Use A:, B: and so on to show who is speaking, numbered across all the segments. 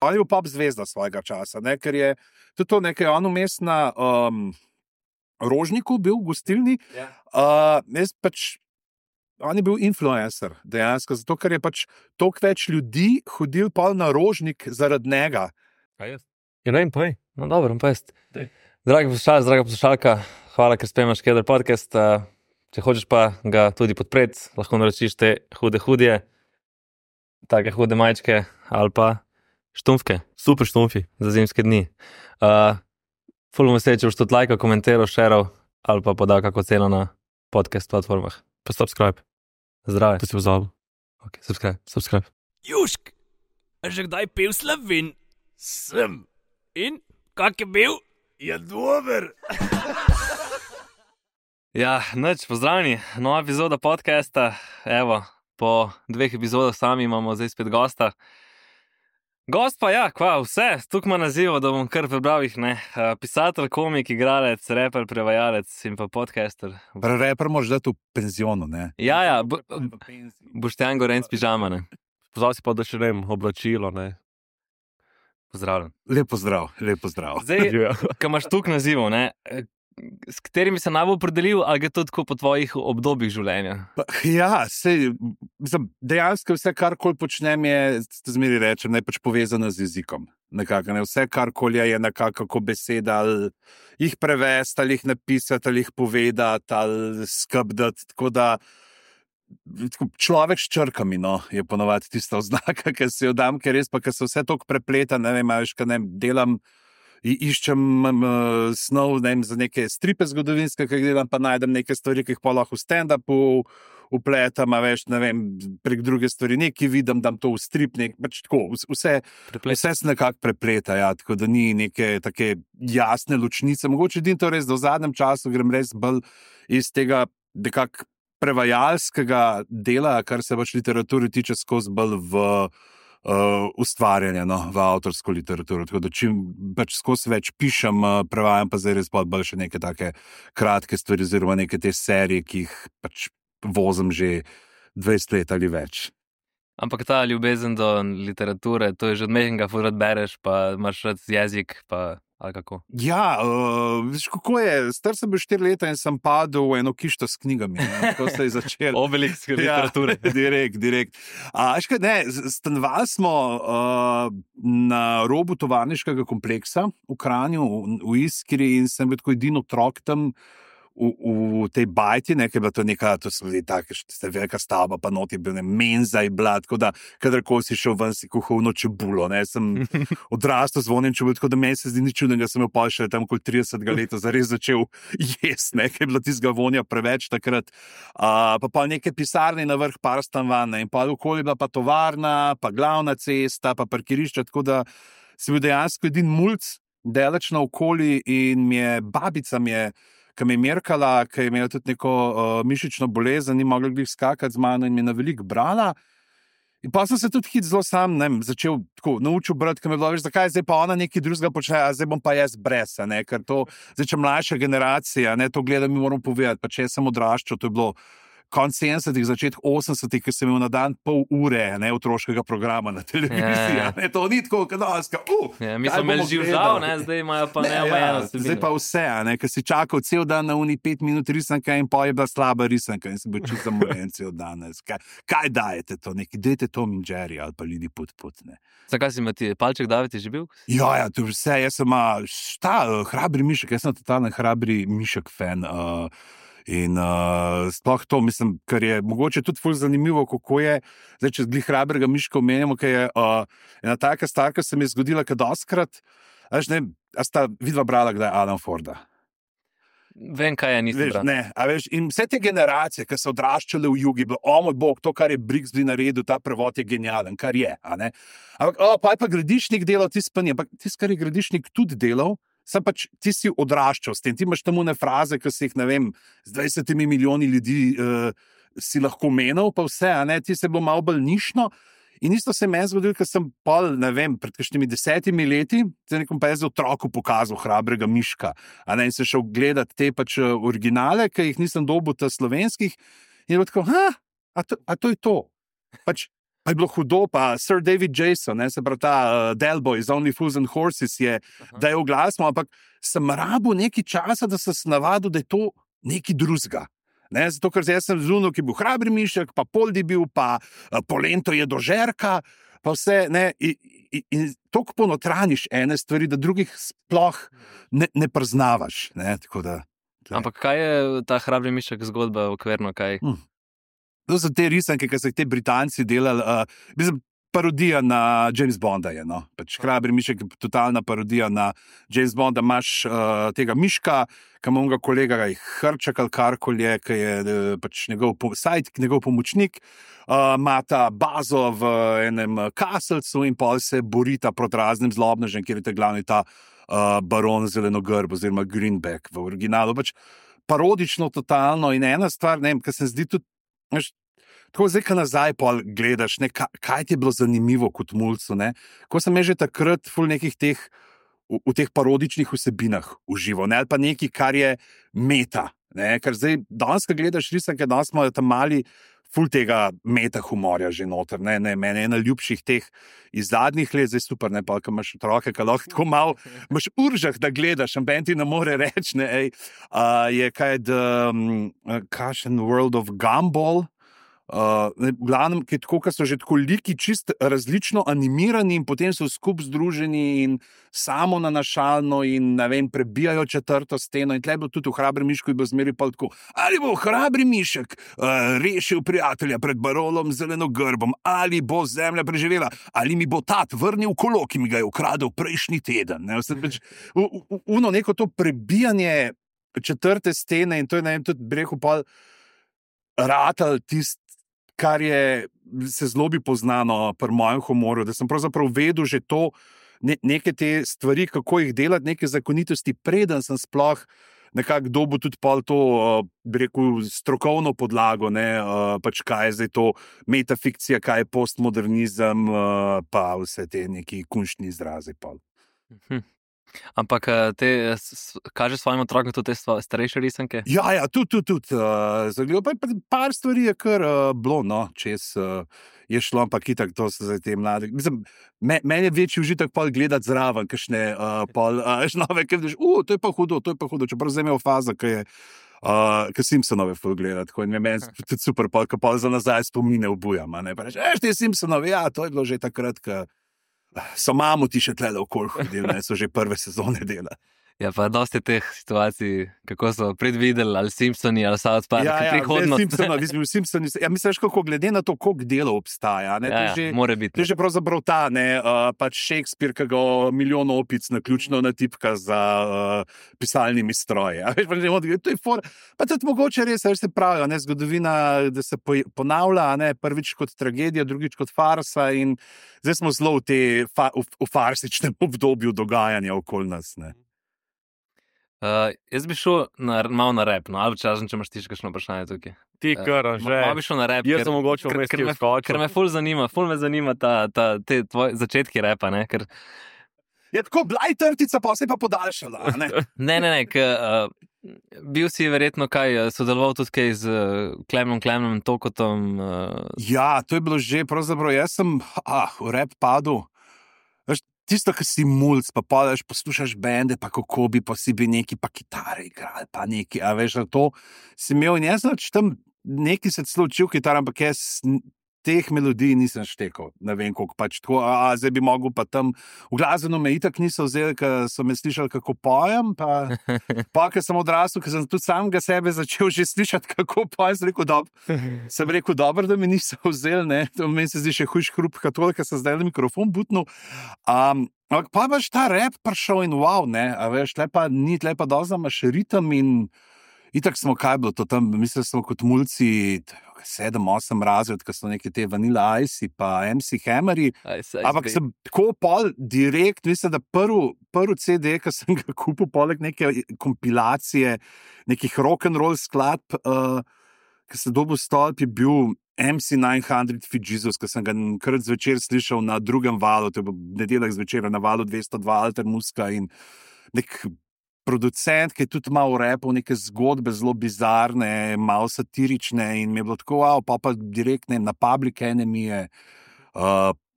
A: On je bil pop zvezda svojega časa, ne? Ker je tudi to nekaj on vmes na Rožniku bil v gostilni. Jaz pač, on je bil influencer dejansko, zato ker je pač toliko več ljudi hodil pol na Rožnik zaradi njega.
B: Ja, ne vem, povej. No, dobro, povest. Dragi poslušalci, draga poslušalka, hvala, ker spremljaš Keder podcast. Če hočeš pa ga tudi podpreti, lahko naročiš te hudje, take hude majčke ali pa štumfke. Super štumfi za zimske dni. Ful me če boš tudi lajkal, komentiral, šeral ali pa podal kako ceno na podcast platformah. Pa subscribe. Zdrave. To si pozabil. Ok, subscribe.
C: Južk, a že kdaj pil Slovin? Sem. In? Kak je bil? Je dober.
B: Ja, nič, pozdravljeni. Nova epizoda podcasta. Evo, po 2 epizodah sami imamo zdaj spet gosta. Gost pa ja, vse, tukaj ima nazivo, da bom kar prebral jih, ne. Pisatelj, komik, igralec, reper, prevajalec in pa podcaster.
A: Reper moraš dati v penzionu, ne?
B: Ja, Boštjan Gorenc pižama, ne.
D: Pozval si pa, da še ne vem, oblačilo, ne.
B: Pozdravljen.
A: Lep pozdrav.
B: Zdaj, ko imaš tukaj nazivov, ne, s katerimi se najbolj opredelil, ali je to tako po tvojih obdobjih življenja?
A: Ja, dejansko vse, karkoli počnem, je, zmeri rečem, ne pač povezano z jezikom. Nekako, ne? Vse, karkoli je nekako beseda, ali jih prevesti, ali jih napisati, ali jih povedati, ali skrbdati, tako da človek s črkami, no, je ponovadi tista oznaka, ki se jo dam, ker res pa, ker se vse toliko prepleta, ne vem, delam, iščem snov, ne vem, za neke stripe zgodovinske, ki jih delam, pa najdem neke stvari, ki jih pa lahko v stand-upu upletam, ne vem, prek druge stvari, nekaj vidim, dam to v strip, pač tako, vse se nekako prepleta, ja, tako da ni neke take jasne ločnice. Mogoče edino to res, da v zadnjem času grem res bolj iz tega nekako prevajalskega dela, kar se pač literaturi tiče, skozi bolj v ustvarjanje, no, v avtorsko literaturo. Tako da čim pač skozi več pišem, prevajam pa zdaj res bolj še neke take kratke stvari, oziroma neke te serije, ki jih pač vozim že 20 let ali več.
B: Ampak ta ljubezen do literature, to je že od mehkega, ful rad bereš, pa imaš rad jezik, pa ali kako? Ja,
A: veš, kako je, star sem bil 4 leta in sem padel v eno kišto s knjigami, ne? Tako se je začel.
B: Obelisk literature.
A: Ja, direkt. Stanovali smo na robu tovarniškega kompleksa v Kranju, v Iskri, in sem bil tako edini otrok tam v tej bajti, ne, ker je bila to neka, to so bili take, velika stavba, pa not je bil menza in bila, tako da, kadarkoli si šel ven, si kuhal ono čebulo, ne, sem odrastel z vonim čebulo, tako da meni se zdi nič čudnega, sem jo pa še tam okoli 30 leta zares začel jesti, ne, ker je bila tistega vonja preveč takrat, pa neke pisarne na vrh par stanovanj, in pa okoli bila pa tovarna, pa glavna cesta, pa parkirišča, tako da si bil dejansko edin mulc, daleč naokoli, in babica mi je, ki me je merkala, ki je imela tudi neko mišično bolezen, ni mogla glih skakati z mano in mi je na veliko brala. In pa sem se tudi zelo sam, ne vem, začel tako naučil brati, ki me je bilo, veš, zakaj zdaj pa ona nekaj drugega počne, a zdaj bom pa jaz brez, ne, ker to, zdaj če mlajša generacija, ne, to gleda, mi moram povedati, pa če sem odraščal, to je bilo konc 70-ih, začetek 80-ih, ki sem imel na dan pol ure, ne, otroškega programa na televiziji, ne, to ni tako, kadalska,
B: mi smo imeli živžal, ne, zdaj imajo pa neomejeno vsebino.
A: Zdaj pa vse, ne, ker si čakal cel dan na uni 5 minut risanka in pa je bila slaba risanka in si bil čisto zamoren cel dan. Kaj dajete to, dajte Tom in Jerry ali pa Lidi Put, ne.
B: Zakaj si ti palček David je že bil?
A: Ja, to vse, jaz sem hrabri mišek, jaz sem totalno hrabri mišek fan, in sploh to, mislim, kar je mogoče tudi ful zanimivo, kako je, zdaj, če glih hrabrega miška omenjamo, ker je ena taka stvar, ki se mi je zgodila, ker dostkrat, ne, a sta vidva brala kdaj Alan Forda?
B: Vem, kaj je, nisem bral.
A: Ne, a veš, in vse te generacije, ki so odraščale v jugi, bilo, o moj bog, to, kar je Brixby naredil, ta prevod je genijalen, kar je, a ne? Ampak, pa je pa Gradišnik delal, tisto pa ni, ampak tisto, kar je Gradišnik tudi delal, sem pač, ti si odraščal s tem, ti imaš tam one fraze, ki si jih, ne vem, z 20 milijoni ljudi si lahko menil, pa vse, a ne, ti se je bilo malo bolj nišno. In isto se je meni zgodilo, ker sem pol, ne vem, pred kakšnimi 10 leti, zdaj nekom pa je za otroku pokazal hrabrega miška, a ne, in se šel gledati te pač originale, ki jih nisem dobil ta slovenskih, in je bilo tako, a to je to. Pač Pa je bilo hudo, pa Sir David Jason, se pravi ta Del Boy iz Only Fools and Horses da je oglasno, ampak sem rabil nekaj časa, da sem se navadil, da je to nekaj drugega. Zato, ker jaz sem zunil, ki je bil Hrabri mišek, pa Poldi bil, pa Polento je do Žerka, pa vse, in toliko ponotraniš ene stvari, da drugih sploh ne preznavaš. Tako da,
B: Ampak kaj je ta Hrabri mišek zgodba okvirno, kaj?
A: To so te risanke, ki so te Britanci delali, parodija na James Bonda je, no. Pač Hrabri mišek je totalna parodija na James Bonda. Imaš tega miška, ki ima onega kolega Hrčak ali karkoli je, ki je pač njegov sidekick, njegov pomočnik, imata bazo v enem kaselcu in pol se borita proti raznim zlobnežem, kjer je glavni ta baron Zelenogrb oziroma Greenback v originalu. Pač parodično, totalno in ena stvar, ne vem, ki se zdi tudi, tako zdaj, ko nazaj pol gledaš, kaj ti je bilo zanimivo kot mulcu, ko sem že takrat ful nekih teh, v teh parodičnih vsebinah užival, ali pa nekaj, kar je meta, ker zdaj, danes, ko gledaš risanke, danes smo tam mali ful tega meta humorja že noter, meni ena ljubših teh iz zadnjih let, zdaj super, pa ko imaš otroke, ko lahko tako malo, imaš uržah, da gledaš, amben ti ne more reči, je kaj, kakšen World of Gumball, v glavnem, ki je tako, ko so že tako liki čist različno animirani in potem so skupaj združeni in samo nanašalno in, ne vem, prebijajo četrto steno in tle je bilo tudi v Hrabri mišku in bo zmeri pa tako, ali bo Hrabri mišek rešil prijatelja pred baronom Zelenogrbom, ali bo zemlja preživela, ali mi bo tat vrnil kolo, ki mi ga je ukradel prejšnji teden. Uno neko to prebijanje četrte stene in to je, ne vem, tudi brehu pa ratal tisti, kar je se zelo bi poznano pri mojem humoru, da sem pravzaprav vedel že to, neke te stvari, kako jih delati, neke zakonitosti, preden sem sploh nekako dobil tudi pol to, bi rekel, strokovno podlago, pač kaj je zdaj to metafikcija, kaj je postmodernizem, pa vse te neki kunštni izrazi pol.
B: Ampak te kaže svojim otrokom tudi te starejše risanke?
A: Ja, tudi. Zagledal pa je par stvari je kar bilo, čez je šlo, ampak itak to so zdaj te mlade. Mislim, meni je večji užitek pol gledati zraven, kakšne pol nove, ker vidiš, to je pa hudo, čeprav zdaj imel faza, ki je ki Simpsonove ful gledati, tako in meni tudi super, ko pol za nazaj spomine obujam, pa reč, ti Simpsonovi, to je bilo že takrat, so mamuti še tlele okoli hodili, so že prve sezone dela.
B: Ja, pa dosti teh situacij, kako so predvideli, ali Simpsoni, ali South Park, prihodnost.
A: Simpsoni, misliš, kako glede na to, koliko delov obstaja,
B: mora biti.
A: To je že pravzaprav ta, pač Shakespeare, ki ga milijon opic naključno natipka za pisalnimi stroji. To je pa tudi mogoče res, se pravijo, zgodovina, da se ponavlja, prvič kot tragedija, drugič kot farsa in zdaj smo zelo v farsičnem obdobju dogajanja okoli nas,
B: jaz bi šel malo na rap, ali časen, če imaš ti še kakšno vprašanje tukaj.
D: Ti kar, že.
B: Malo bi šel na rap,
D: jaz sem mogoče vmes ti vskočil.
B: Ker me ful zanima te tvoje začetki rapa, ker...
A: Je tako blaj trtica, pa se pa podaljšala,
B: Ne, bil si verjetno sodeloval tudi kaj z Klemnom Tokotom.
A: Ja, to je bilo že, pravzaprav jaz sem v rap padel. Tisto, ki si mulc, pa padeš, poslušaš bende, pa kako bi, pa si bi neki, pa kitare igrali, pa neki, to si imel in jaz tam neki se celo učil kitar, ampak jaz teh melodij nisem štekal, ne vem koliko, pač tako, zdaj bi mogel pa tam, v glasbeno me itak niso vzeli, ker so me slišali, kako pojem, pa ker sem odrasel, ker sem tudi samega sebe začel že slišati, kako pojem, sem rekel, dobro, da me niso vzeli, to meni se zdi še hujš hrup katol, ker sem zdaj na mikrofon butnil, ampak pa baš ta rap prišel in wow, tle pa dosti imaš ritem in itak smo, kaj bilo to tam, mislim, smo kot mulci 7-8 razred, ko so neke te Vanilla Ice pa MC Hammeri, ampak sem tako pol direkt, mislim, da prvi CD, ki sem ga kupil, poleg neke kompilacije, nekih rock'n'roll skladb, ki sem dobil stolp, je bil MC 900 Feet Jesus, ki sem ga krat zvečer slišal na drugem valu, to je bil nedeljek zvečer na valu 202 Alter Muska in nek producent, ki je tudi malo repal neke zgodbe zelo bizarne, malo satirične in mi je bilo tako, pa direkt na Public Enemy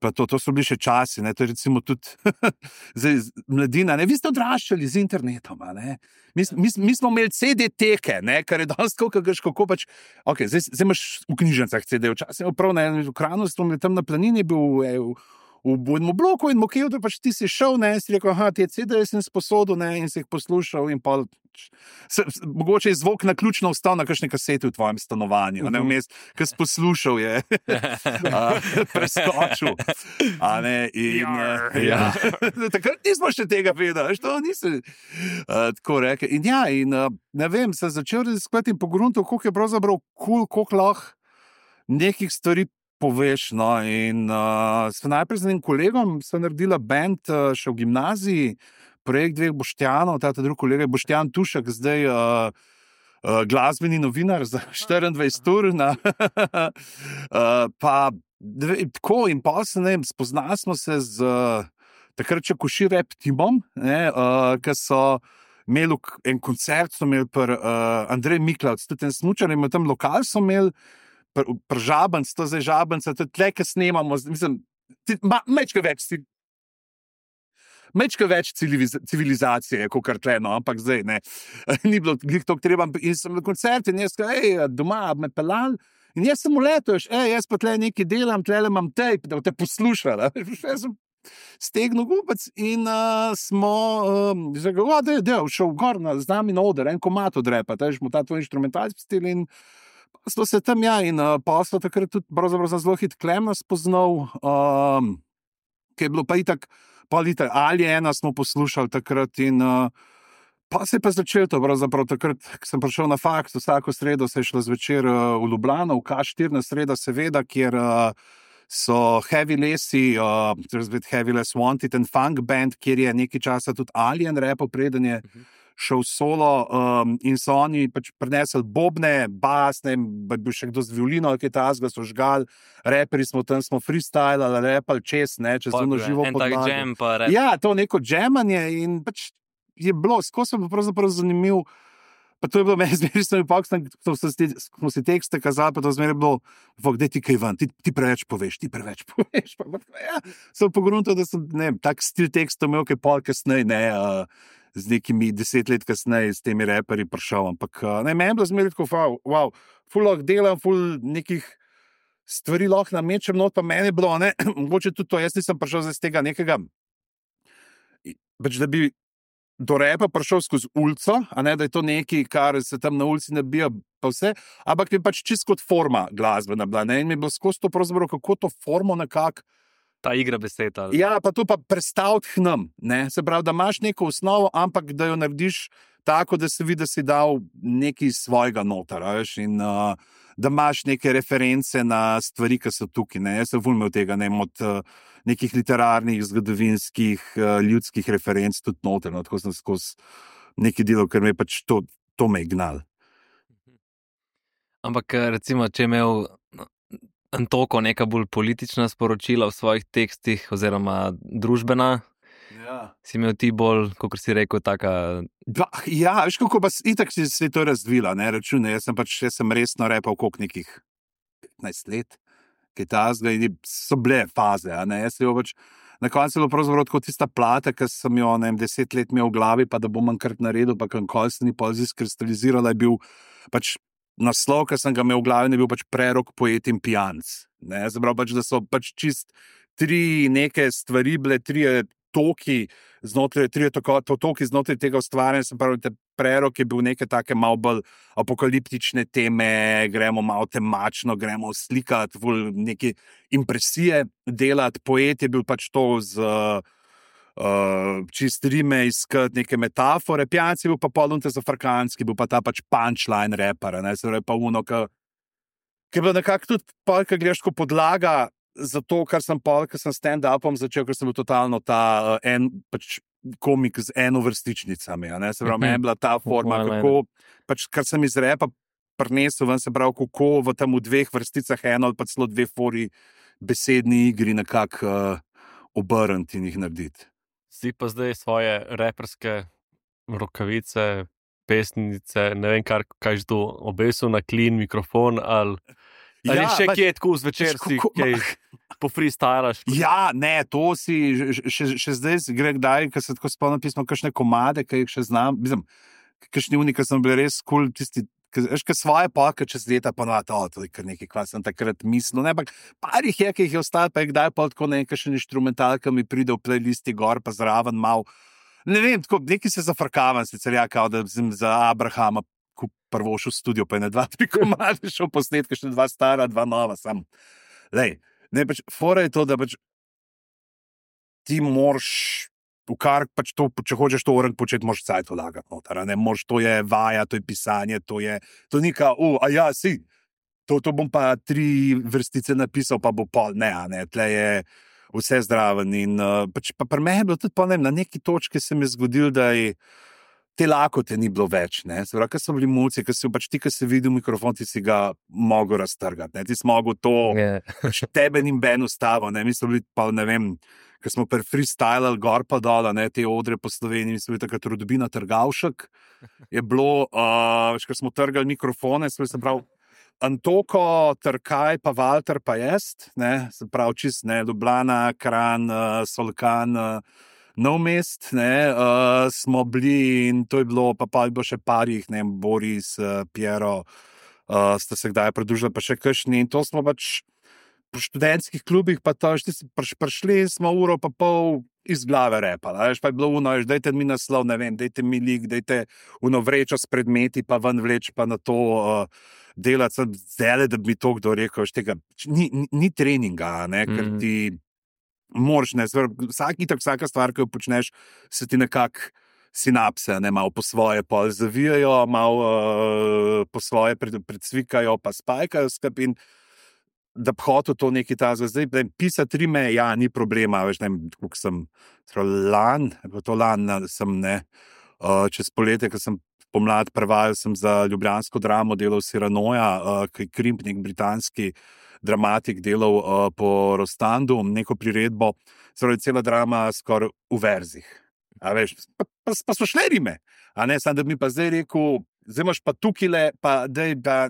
A: Pa to so bili še časi, to je recimo tudi zdaj, mladina, vi ste odraščali z internetom, mi smo imeli CD-teke, kar je danes kako pač, ok, zdaj imaš v knjižnicah CD, včasih prav na enem ekranu, tam na planini bil v enem bloku in mokev, da pač ti si šel, si rekel, te CD-je sem sposodil, in si jih poslušal in pa mogoče je zvok naključno ostal na kakšni kaseti v tvojem stanovanju, vmes, ki si poslušal je preskočil. Takrat nismo še tega vedeli, to nisi tako rekel. In ne vem, sem začel raziskovati in pogruntal, koliko je pravzaprav kul, koliko lahko nekih stvari poveš. In sem najprej z enim kolegom naredila band še v gimnaziji, projekt dveh Boštjanov, ta drugi kolega je Boštjan Tušek, zdaj glasbeni novinar za 24 ur. Tako in pa spoznali smo se z takrat še Koši rap timom, ki so imeli en koncert, so imeli pri Andrej Miklavc, tudi en smučar, in tam lokal so imeli pri Žabanc, to zdaj Žabanca, tudi tle, ki snemamo, mislim, mečka več civilizacije, kot kar tle, ampak zdaj ne. Ni bilo toliko treba. In sem na koncertu in jaz doma me pelal in jaz sem uletel, jaz pa tle nekaj delam, tle imam tape, da te poslušala. Jaz sem stegnil gubec in smo šel gor z nami na oder, en komad od repa, smo ta tvoj inštrumentalc pustili in smo se tam, in pa so takrat tudi pravzaprav zelo hit Klemna spoznal, ki je bilo pa itak Aliena smo poslušali takrat in pa se je pa začelo to, pravzaprav takrat, ko sem prišel na faks, vsako sredo se je šlo zvečer v Ljubljano, v K4 na sreda seveda, kjer so Heavy Lesi, Heavy Les Wanted and Funk Band, kjer je nekaj časa tudi Alien repel, preden je šel solo, in so oni pač prinesli bobne, bas, bil še kdo z violino, ki je tazga, so žgali, reperi smo tam, smo freestylali, repali čez ono živo podlago.
B: Jam pa rap.
A: Ja, to neko jamanje in pač je bilo, skozi pa pravzaprav zanimiv, pa to je bilo meni zmeri, ko smo si tekste kazali, pa to zmeri bilo, daj ti kaj ven, ti preveč poveš, sem pogruntal, da sem, tak stil tekstov imel, kaj pol kasneje, z nekimi 10 let kasneje s temi reperi prišel, ampak meni je bilo zmeri tako, ful lahko delam, ful nekih stvari lahko namečem, not pa meni je bilo, mogoče tudi to, jaz nisem prišel z tega nekega, pač da bi do repa prišel skozi ulico, da je to nekaj, kar se tam na ulici nabija pa vse, ampak mi pač čisto kot forma glasbena bila, in mi je bilo skozi to pravzaprav, kako to formo nekako
B: ta igra besed.
A: Ja, pa to pa predstaviti k nam, se pravi, da imaš neko osnovo, ampak da jo narediš tako, da se vidi, da si dal nekaj svojega noter, in da imaš neke reference na stvari, ki so tukaj. Jaz sem vulmel tega, od nekih literarnih, zgodovinskih, ljudskih referenc tudi noter, tako sem skozi neki delo, ker me je pač to me gnal.
B: Ampak recimo, če je imel Antoko neka bolj politična sporočila v svojih tekstih oziroma družbena, si imel ti bolj, kot si rekel, taka...
A: Ja, veš kako pa itak si se to razvila, račune, jaz sem resno repal koliko nekih 15 let, kaj tazga in so bile faze, jaz se jo pač, na koncu je bilo pravzaprav tako tista plata, ki sem jo 10 let imel v glavi, pa da bom enkrat naredil, pa kankoli se ni pol izkristalizirala, je bil pač naslov, ki sem ga imel v glavi, je bil pač Prerok, poet in pijanc. Zabrav pač, da so pač čist 3 neke stvari bile, 3 toki znotraj tega ustvarjanja, sem pravi, Prerok je bil neke take malo bolj apokaliptične teme, gremo malo temačno, gremo slikati, neke impresije delati, poet je bil pač to z čist rime, iskati neke metafore, pijanci bil pa polunte zafrkanski, bil pa ta pač punchline rapper, se pravi pa uno, ki je bilo nekako tudi polka gledaško podlaga za to, kar sem stand-upom začel, ker sem bil totalno ta pač komik z enovrstičnicami, se pravi, meni je bila ta forma, kako, pač kar sem iz rapa prinesel ven, se pravi, kako v tam v 2 vrsticah eno ali pa celo 2 fori besedni igri nekako obrniti in jih narediti.
D: Si pa zdaj svoje reperske rokavice, pesnice, ne vem kaj že to, obesil na klin mikrofon ali Ali še
A: pač-
D: kje je tako zvečer, si kaj po freestylaš?
A: Ja, ne, to si še zdaj gre kdaj, ker se tako spomnim pismo, kakšne komade, ki jih še znam, mislim, kakšni uni, ki sem bil res kul, tisti, veš, kaj svoje polke čez leta ponovati, to je kar nekaj, kva sem takrat mislil, ne, ampak par jih je, ki jih je ostalo, pa je kdaj pa tako nekaj še inštrumentalka mi pride v playlisti gor, pa zraven mal, ne vem, tako, nekaj se zafrkavam, sicer ja, kao da sem za Abrahama prvo šel v studio, pa je na 2-3 komade šel posnetke, še 2 stara, 2 nova, sam, lej, ne, pač, fora je to, da pač ti moraš, v kar pač to, če hočeš to orang početi, moraš cajt vlagati noter, ne, moraš, to je vaja, to je pisanje, to ni kao, a ja, si, to bom pa 3 vrstice napisal, pa bo pol, ne, tle je vse zdraven in pač pa pri meni je bilo tudi, pa ne vem, na neki točki se mi je zgodil, da je te lakote ni bilo več, ne, se pravi, ker so bili mulci, ker si pač ti, ki si videl mikrofon, ti si ga mogel raztrgati, ne, ti si mogel to, pač tebe ni ben ustavil, ne, mi smo bili pa, ne vem, ker smo pri freestylali gor pa dol, ne, te odre po Sloveniji, mi smo bili takrat Rodbina Trgavšek, je bilo, ker smo trgali mikrofone, se pravi, Antoko, Trkaj, pa Valter, pa jaz, ne, se pravi, čist, ne, Ljubljana, Kranj, Solkan, Nov Mest, ne, smo bili in to je bilo, pa je bilo še parih, ne, Boris, Piero, sta se kdaj pridružila, pa še kakšni in to smo pač po študentskih klubih, pa to, prišli smo uro pa pol iz glave repala, veš, pa je bilo uno, dajte mi naslov, ne vem, dajte mi lik, dajte uno vrečo s predmeti, pa ven vleč, pa na to delati, sem zdaj, da bi mi to kdo rekel, veš, tega, ni treninga, ne, ker ti moraš, ne, vsaka stvar, ki jo počneš, se ti nekako sinapse, ne, malo po svoje pol zavijajo, malo po svoje predsvikajo, pa spajkajo skup in da bi hotel to nekaj tazga. Zdaj, pisati rime, ja, ni problema, veš, ne vem, koliko sem, lan sem, ne, čez poletje, ko sem pomlad prevajal, sem za ljubljansko dramo delal Cyranoja, ki je Krimp, nek britanski dramatik, delal po Rostandu, neko priredbo, cela drama skoraj v verzih. A veš, pa so šle rime, a ne, sam da bi mi pa zdaj rekel, zdaj imaš pa tukile, pa dej, da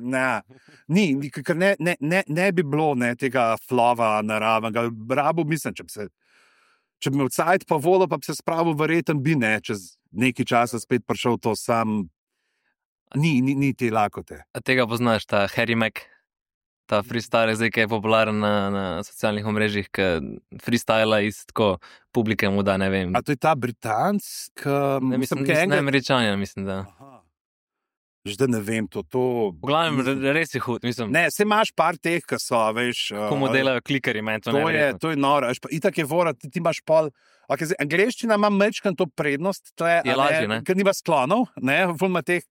A: ni, ker ne bi bilo, ne, tega flova naravnega, rabo, mislim, če bi me vcajt pa volo, pa bi se spravil verjeten bi, ne, čez nekaj časa spet prišel to sam, ni te lakote.
B: A tega poznaš, ta Harry Mack, ta freestyle, zdaj, ki je popularen na socialnih omrežjih, ki freestyla iz tako publike mu da, ne vem.
A: A to je ta Britanc,
B: mislim, ne Američanja, mislim, da.
A: Aha. Že ne vem, to...
B: V glavnem, res je hud, mislim.
A: Ne, se imaš par teh, ki so, veš...
B: Komu delajo klikeri, meni to ne verjetno.
A: To je noro, itak je vora, ti imaš pol... Okay, angleščina ima mečkan to prednost,
B: je lažje, ne?
A: Ker nima sklonov, ne, ima teh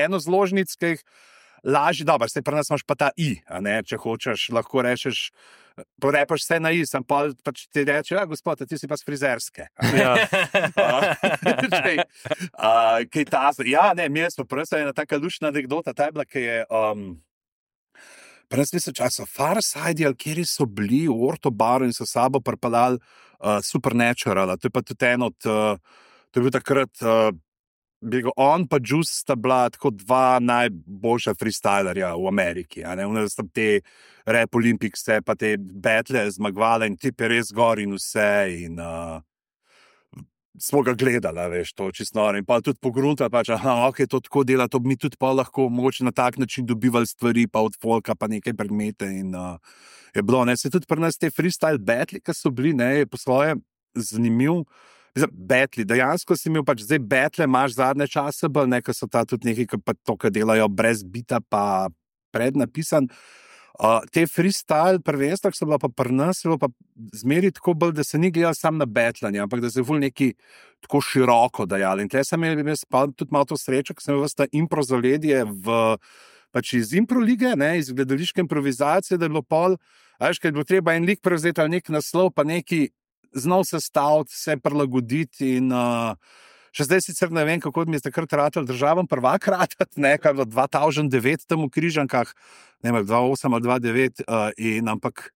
A: enozložnic, ki jih lažje, dobro, se pri nas imaš pa ta I, a ne, če hočeš, lahko rečeš, porepaš vse na I, sem pa ti reče, ja, gospod, ti si pa z frizerske.
B: Ja.
A: Kaj ta, ja, ne, mi smo prsa ena taka lušna anekdota, ta je bila, ki je, pri nas mislim časa, Farside, ali kjeri so bili v Ortobaru in so sabo pripeljali Supernatural, to je pa tudi en od, to je bil takrat, on pa Juice sta bila tako 2 najboljša freestylerja v Ameriki, a ne, sta te Rap Olympicse, pa te battle zmagovala in tip je res gor in vse in smo ga gledala, veš, to čisto noro in pa tudi pogruntala, pač, ok, to tako dela, to bi mi tudi pa lahko mogoče na tak način dobivali stvari, pa od folka, pa nekaj predmete in je bilo, ne, se tudi pri nas te freestyle battle, ki so bili, ne, je po svoje zanimiv, Betli, dejansko si imel pač zdaj betle, imaš zadnje čase, nekaj so ta tudi nekaj, ki pa to, ki delajo brez bita, pa prednapisan. Te freestyle prvenstva, ki so bila pa pri nas, je bilo pa zmeri tako bolj, da se ni gledal sam na betlanje, ampak da se je ful neki tako široko dajali. In tle sem imel tudi malo to srečo, ker sem imel vsta impro zaledje pač iz impro lige, ne, iz gledališke improvizacije, da je bilo pol, veš, ker je bilo treba en lik prevzeti ali nek naslov, pa neki znal se staviti, se prilagoditi in še zdaj sicer ne vem, kako mi je takrat ratal državen prvak ratat, ne, kaj je bilo 2009 tam v Križankah, ne vem, 2008 ali 2009 in ampak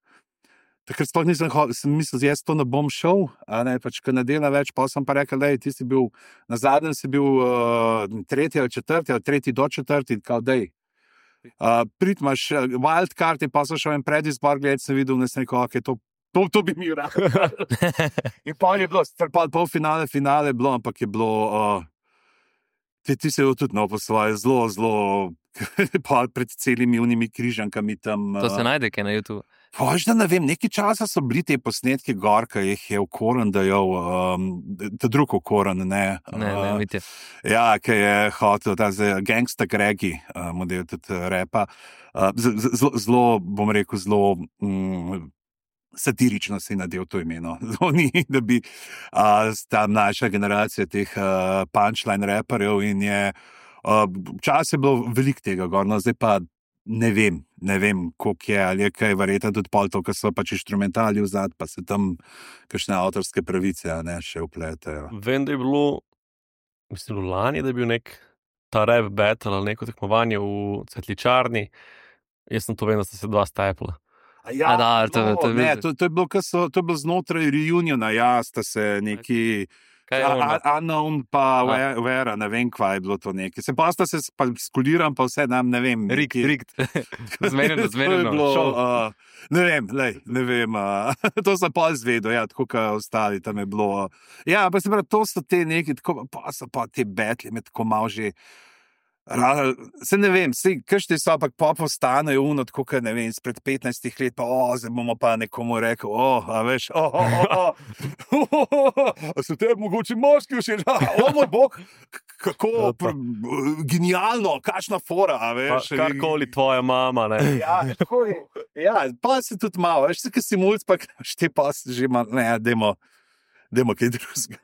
A: takrat sploh nisem mislil, jaz to ne bom šel, ne, pač, ker ne delam več, pa sem pa rekel, dej, ti si bil, na zadnjem si bil 3. ali 4. ali 3. do 4. kao dej. Prid imaš wildcard, in pa so šel en predizbor, gledaj, sem videl, da sem rekel, okay, to bi mi rad. In pa je bilo, polfinale, finale je bilo, ampak je bilo, ti se je tudi po svoje zelo, pred celimi unimi križankami tam.
B: To se najde, kaj na YouTube.
A: Pož, da ne vem, nekaj časa so bili te posnetki gor, ki jih je Okoran dajal, ta drug Okoran, ne.
B: Ne, vidite.
A: Ja, ki je hotel, ta Gangsta Gregi, model tudi repa. Zelo, bom rekel, zelo satirično si nadel to imeno. Ni, da bi ta mlajša generacija teh punchline reperjev in je, včasih je bilo veliko tega gor, no zdaj pa ne vem, koliko je, ali je kaj verjetno tudi pol to, ko so pač inštrumentali vzad, pa se tam kakšne avtorske pravice, ne, še vpletejo.
D: Vem, da je bilo, mislim, lani, da je bil nek ta rap battle ali neko tekmovanje v Cvetličarni. Jaz sem to vem, da sta se dva stepla.
A: Ja,
B: to
A: je bilo znotraj reuniona, ja, sta se neki Unknown pa Vera, ne vem, kva je bilo to nekaj. Se pa sta se skuliram, pa vse nam, ne vem.
B: Rikt. Zmerjeno.
A: Ne vem, to sem pa izvedel, ja, tako kot ostali, tam je bilo. Ja, pa se pravi, to so te neki, pa so pa te betli, me tako malo že. Se ne vem, kakšni so, ampak pa postanejo tako, ne vem, spred 15 let, pa zdaj bomo pa nekomu rekel, a veš, a so te mogoče moški všeč, moj bog, kako genialno, kakšna fora, a veš.
D: Karkoli tvoja mama, ne.
A: Ja, tako je, ja, pa se tudi malo, veš, kaj si mulc, pa šte pa že malo, ne, dajmo kaj drugega.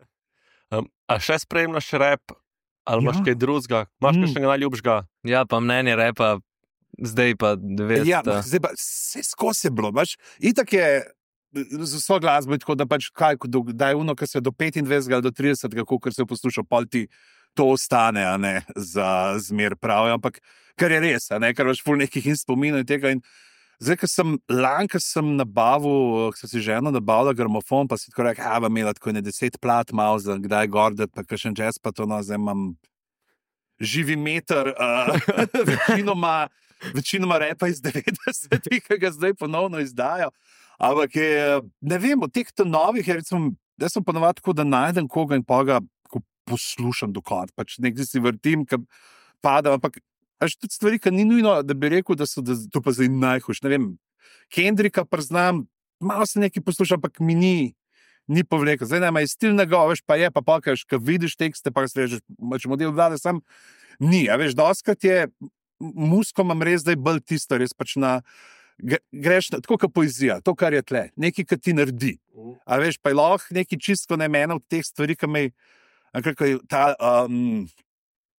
D: A še spremljaš rap? Ali imaš kaj drugega? Imaš kakšnega najljubšega?
B: Ja, pa mnenje repa, zdaj pa 900.
A: Ja, zdaj pa vse skozi je bilo, baš. Itak je z vso glasbo, tako da pač da je ono, kar se do 25 ali do 30, kako se posluša, pol ti to ostane, a ne, za zmer pravijo, ampak kar je res, a ne, kar imaš ful nekih in spominov in tega in zdaj, ko sem nabavil, ko sem si ženo nabavila gramofon, pa si tako rekel, vam imela tako 10 plat malo za kdaj gordet, pa kakšen jazz, pa to, no, zdaj imam živi meter, večinoma repa iz 90-ih, ki ga zdaj ponovno izdajo, ampak je, ne vem, od teh novih, recimo, jaz sem ponovadi tako, da najdem koga in pa ga poslušam do konca, pač nekaj si vrtim, ki pada, ampak až tudi stvari, ki ni nujno, da bi rekel, da to pa zdaj najhujš. Ne vem, Kendricka priznam, malo se nekaj poslušam, ampak mi ni povlekel. Zdaj nema je stil njegov, veš, pa je, pa pokaš, ko vidiš tekste, pa si rečeš, model vlade, sam ni. A veš, doskrat je, musko imam res, da je bolj tisto, res pač greš tako kot poezija, to, kar je tle, nekaj, kar ti naredi. A veš, pa je lahko nekaj čisto ne mena od teh stvari, ki me je ta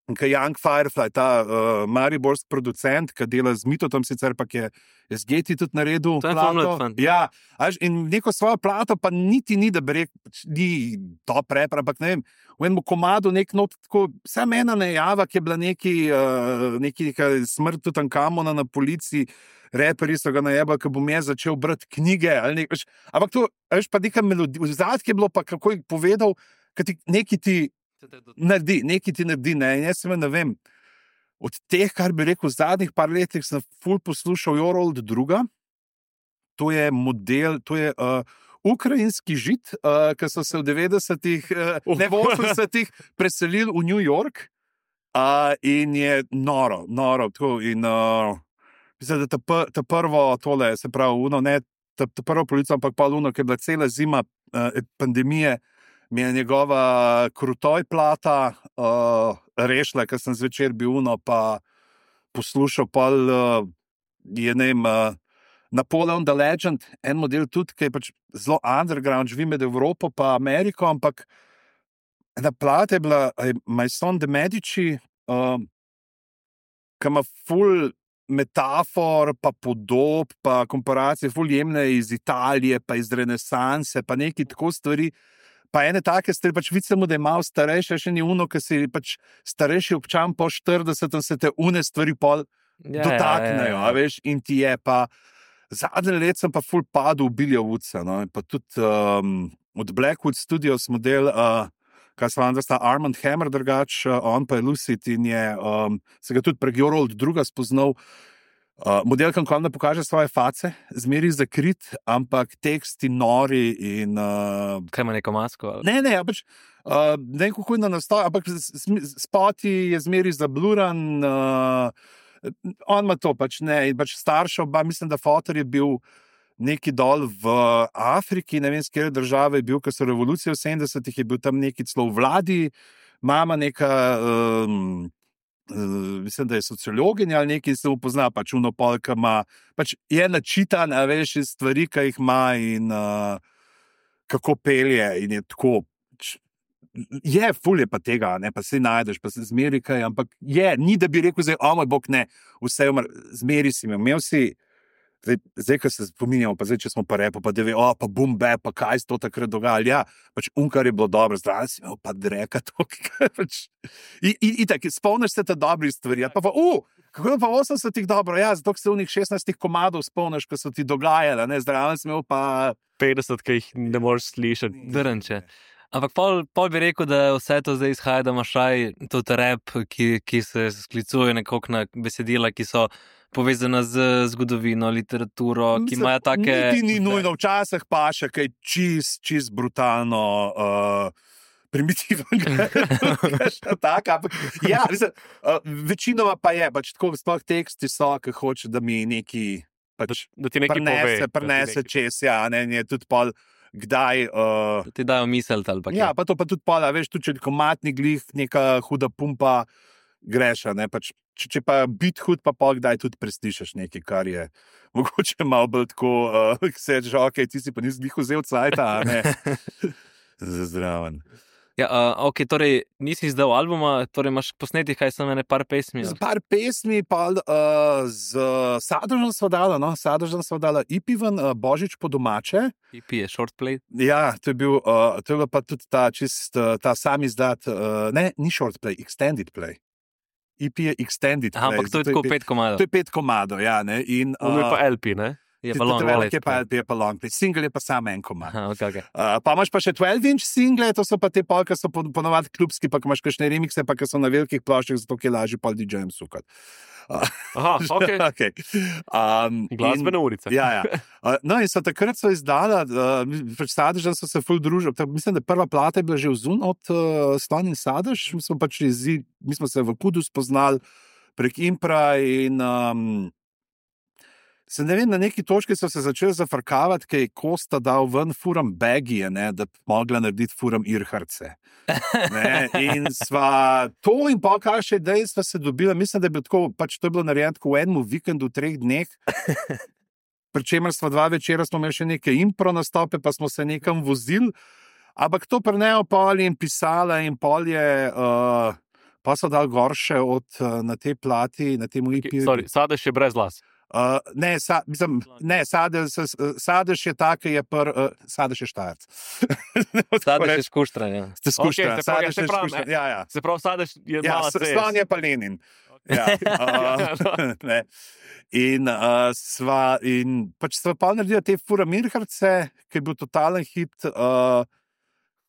A: Young Firefly, ta mariborski producent, ki dela z Mitotom, sicer pa je SGT tudi naredil plato. Ja, in neko svojo plato pa niti ni, da bi rekel, ni to prepra, ampak ne vem, v enem komadu nek not, tako, samo ena najava, ki je bila neki smrt Tutankamona na policiji, reperi so ga najebali, ko bom jaz začel brati knjige, ali nekaj, ampak to, veš, pa neka melodija, v zadnji je bilo pa, kako je povedal, neki ti naredi, ne, in jaz ne vem, od teh, kar bi rekel, v zadnjih par letih sem ful poslušal Your Old druga, to je model, to je ukrajinski Žid, ki so se v 90-ih, ne v 80-ih preselili v New York in je noro, tako in mislim, da ta prvo tole, se pravi, ne ta prvo polico, ampak pa luno, ki je bila cela zima pandemije, mi je njegova Krutoj plata rešila, ker sem zvečer bil pa poslušal, pa je, ne vem, Napoleon the Legend, en model tudi, ki je pač zelo underground, živi med Evropo pa Ameriko, ampak ena plata je bila Maison de Medici, ki ima ful metafor, pa podob, pa komparacije, ful jemne iz Italije, pa iz renesanse, pa neki tako stvari. Pa ene take stvari, pač vidimo, da je malo starejše, še ni uno, ki si pač starejši občan po 40, se te une stvari pol dotaknejo, a veš, in ti je pa, zadnje let sem pa ful padel v Billywoodsa, no, in pa tudi od Blackwood Studios model, kaj se vam zasta Armand Hammer drugač, on pa je Lucid in je, se ga tudi prek Your Old druga spoznal Modelka nikoli ne pokaže svoje face, zmeri zakrit, ampak teksti nori in...
B: Kaj ima neko masko? Ali?
A: Ne, pač, ne vem, kako je na nastoj, ampak spoti je zmeri zabluran, on ima to pač ne, in pač starša oba, mislim, da fotor je bil neki dol v Afriki, ne vem, z kjer države je bil, ker so revolucije v 70-ih, je bil tam neki celo v vladi, mama neka, mislim, da je sociologinja ali nekaj, se mu pozna, pač unopolka ima, pač je načitan, a veš, iz stvari, ki jih ima in kako pelje in je tako, je, ful je pa tega, ne, pa se najdeš, pa se zmeri kaj, ampak je, ni da bi rekel zdaj, o moj bog, ne, vse umr, zmeri si imel si, zdaj, ko se spominjamo, pa zdaj, če smo pa repo, pa da ve, pa bum, be, pa kaj se to takrat dogajalo, ja, pač kar je bilo dobro, zdravo si imel, pa dreka to, pač, in tako, spomniš se te dobrih stvari, pa kako je pa 80-ih dobro, ja, zato se v njih 16 komadov spomniš, ko so ti dogajale, ne, zdravo si imel pa
D: 50, ki jih ne moreš slišati.
B: Drnče. Ampak pol bi rekel, da vse to zdaj izhaja, da imaš tudi rap, ki se sklicuje nekako na besedila, ki so povezana z zgodovino, literaturo, ki imajo take...
A: Ni nujno, včasih pa še kaj čist brutalno primitivnega. Ja, večinoma pa je, pač tako sploh teksti so, ki hoče, da mi neki pač
D: da ti nekaj
A: prinese čez, ja, ne, je tudi pol kdaj...
B: Ti dajo misel ali pa kaj.
A: Ja, pa to pa tudi pol, veš, tudi če komatni glih, neka huda pumpa, greša, ne, pač, če pa bit hud, pa pol kdaj tudi preslišaš nekaj, kar je mogoče malo bolj tako, se reče, ok, ti si pa nisi glih vzel cajta, a ne, zdraven.
B: Ja, ok, torej nisi izdal albuma, torej imaš posnetih kaj samo par pesmi?
A: Z par pesmi, pa z Sadežem sva dala, no, Sadežem sva dala EP ven, Božič po domače.
B: EP je short play?
A: Ja, to je bil pa tudi ta sam izdat, ne, ni short play, extended play. EP je extended play.
B: Ampak to je tako 5 komadov.
A: To je 5 komadov, ja, ne. In,
D: on je pa LP, ne?
B: Je pa long play.
A: Je pa long play. Single je pa samo en komad.
B: Okay.
A: Pa imaš pa še 12-inch single, to so pa te pol, ki so ponovadi klubski, pa ko imaš kakšne remixe, pa ki so na velikih ploščah, zato je lažje pol DJ-jem sukati.
D: Aha, ok. Glasbene ulice.
A: Ja. No in takrat so izdala, pač Sadež, da so se ful družili. Mislim, da prva plata je bila že vzun od Slon in Sadež. Mi smo se v Kudu spoznali prek Impra in se ne vem, na neki točki so se začeli zafrkavati, kaj je Kosta dal ven furam bagije, ne, da bi mogla narediti furam Irharce. In sva to in pa kaj še dejstva se dobila, mislim, da je bilo tako, pač to je bilo narejeno tako v enem vikendu, 3 dneh, pri čemer sva 2 večera smo imeli še neke impro nastope, pa smo se nekam vozili, ampak to prenejo pol in pisala in pol je... pa so dal gor še na tej plati, na tem EP.
D: Sorry, Sadež je brez las.
A: Sadež je tak, je Sadež je Štajerc.
B: Sadež je Škuštran, ja.
A: Sadež je Škuštran, ja.
D: Se pravi, Sadež je mala cest.
A: Slon je pa Lenin. Ja. In pač sva pa naredila te furam Irharce, ki je bil totalen hit,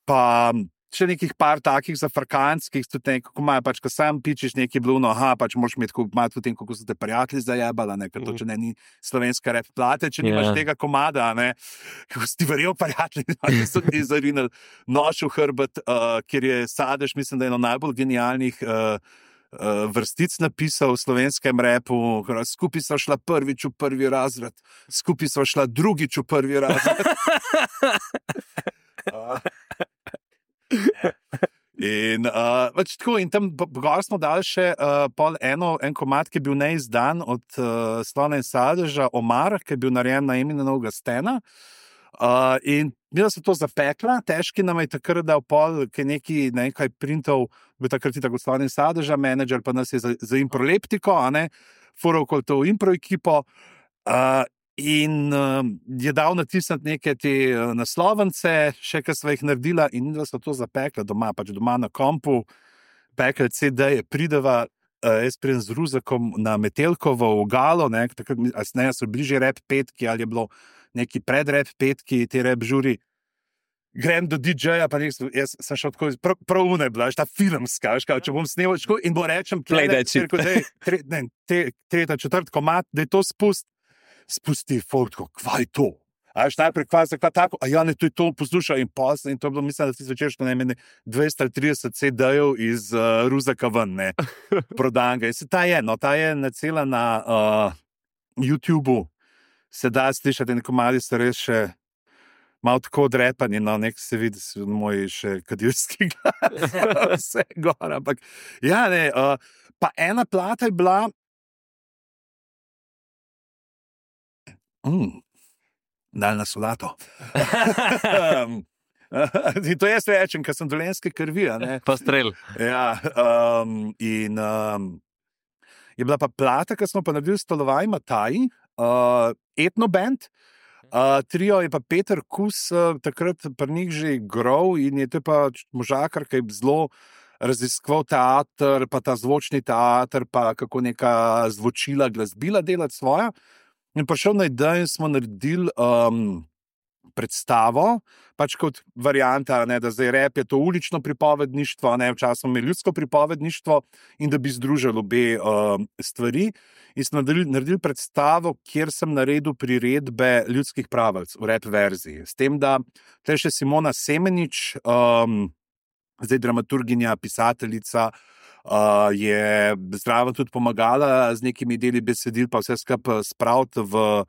A: pa še nekih par takih zafrkanskih, tudi nekako imajo, pač, ko sam pičiš nekaj bluno, pač moraš imeti malo tudi tem, kako so te prijatelji zajebala, ne, ker to, če ne, ni slovenska rap plate, če nimaš tega komada, ne, kako si ti verjel prijatelji, da so ti zarinali nož v hrbet, kjer je Sadež, mislim, da je eno najbolj genialnih vrstic napisal v slovenskem rapu, skupaj so šla prvič v prvi razred, skupaj so šla drugič v prvi razred. In tako, in tam gor smo dali še en komad, ki je bil neizdan od Slona in Sadeža, Omar, ki je bil narejen na Eminemovega Stena. In mi smo to zapekla, težki nam je takrat dal pol, ki je nekaj printov, bil takrat tako Slona in Sadeža, menedžer pa nas je za improleptiko, fural okoli to impro ekipo, in je dal natisniti neke te naslovence, še kar sva jih naredila, in da so to zapekla doma, pač doma na kompu, pekla CD-je, prideva, jaz pridem z Ruzakom na Metelkovo v Galo, takrat so bližje rap petki, ali je bilo neki pred rap petki, te rap žuri, grem do DJ-ja, pa jaz sem šel tako, prav une bila, ta filmska, če bom snemal in bo rečem, tretja, četrt komad, da je to spusti fotko, kva je to? A veš, najprej kva tako, a ja, ne, to je to poslušal in posl, in to je bilo, mislim, da ti zvečer, što ne meni 200 ali 30 CD-jev iz Ruzaka ven, ne, prodanga. In se ta je nacela na YouTubeu, se da slišati, in komadi so res še malo tako odrepani, no, nek se vidi, moj še kadilski glas, vse gor, ampak, ja, ne, pa ena plata je bila, daljna solato. In to jaz rečem, ker sem dolenske krvi, a ne.
B: Pa strel.
A: Ja, in je bila pa plata, ki smo pa naredili Stolovaj Mataji, etnoband, trio je pa Peter Kus, takrat pri njih že igral in je to pa možakar, ki je zelo raziskoval teater, pa ta zvočni teater, pa kako neka zvočila, glasbila delati svoja. In prišel na idejo in smo naredili predstavo, pač kot varianta, ne, da zdaj rap je to ulično pripovedništvo, ne, včasih smo imeli ljudsko pripovedništvo in da bi združili obe stvari. In smo naredili predstavo, kjer sem naredil priredbe ljudskih pravic v rap verziji. S tem, da tle še Simona Semenič, zdaj dramaturginja, pisateljica, je zraven tudi pomagala z nekimi deli besedil, pa vse skupaj spraviti v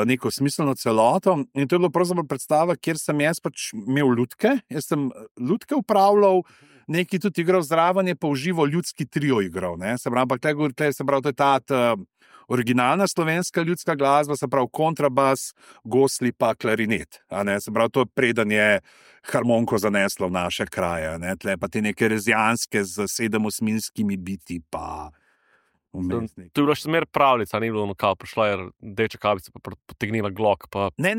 A: neko smiselno celoto. In to je bilo pravzaprav predstava, kjer sem jaz pač imel lutke. Jaz sem lutke upravljal, neki tudi igral zraven, je pa uživo ljudski trio igral. Ne? Se pravi, to je ta originalna slovenska ljudska glasba, se pravi kontrabas, gosli pa klarinet. Se pravi, to preden je harmoniko zaneslo v naše kraje. Ne? Tle pa te neke rezijanske z 7-osminskimi biti pa
D: To je bilo še smer pravljica, ni bilo kao, prišla je rdeča kavica, pa potegnila glok. Pa
A: ne,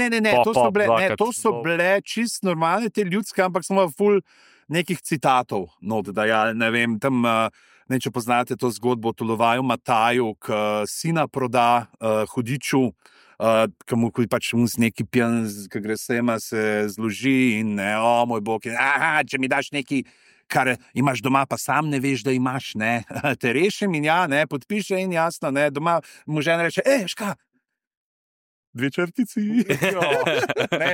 A: to so bile čist normalne te ljudske, ampak smo ful nekih citatov, da ja, ne vem, tam, ne, če poznate to zgodbo o Tolovaju Mataju, ki sina proda hudiču, ki mu pač z neki pijan, ki gre sema, se zloži in ne, moj bog, če mi daš neki, kar imaš doma, pa sam ne veš, da imaš, ne, te rešim in ja, ne, podpiše in jasno, ne, doma mu žena reče, ška, 2 črtici. Ne.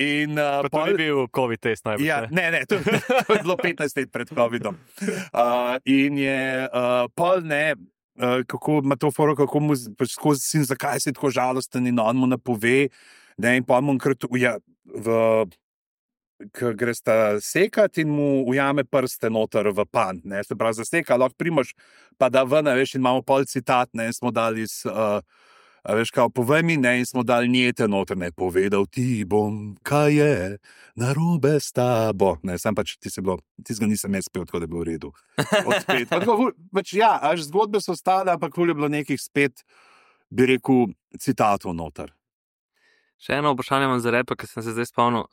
A: In
D: pa to ni bil COVID test najbolj.
A: Ja, ne, to je bilo 15 let pred COVIDom. In je pol, ne, kako ima to foro, kako mu skozi sin, zakaj si tako žalosten in on mu napove, ne, in pol mu enkrat ki gre sta sekat in mu ujame prste noter v pan, ne, se pravi zaseka, lahko primaš, pa da ven, veš, in imamo pol citat, ne, in smo dali veš, kao, povej mi, ne, in smo dali njete noter, ne, povedal ti bom, kaj je narobe s tabo, ne, sam pač ti ga nisem jaz spel, tako da je bilo v redu. Odspet, pač ja, až zgodbe so stale, ampak je bilo nekih spet, bi rekel, citatov noter.
B: Še eno vprašanje imam za repa, ker sem se zdaj spomnil,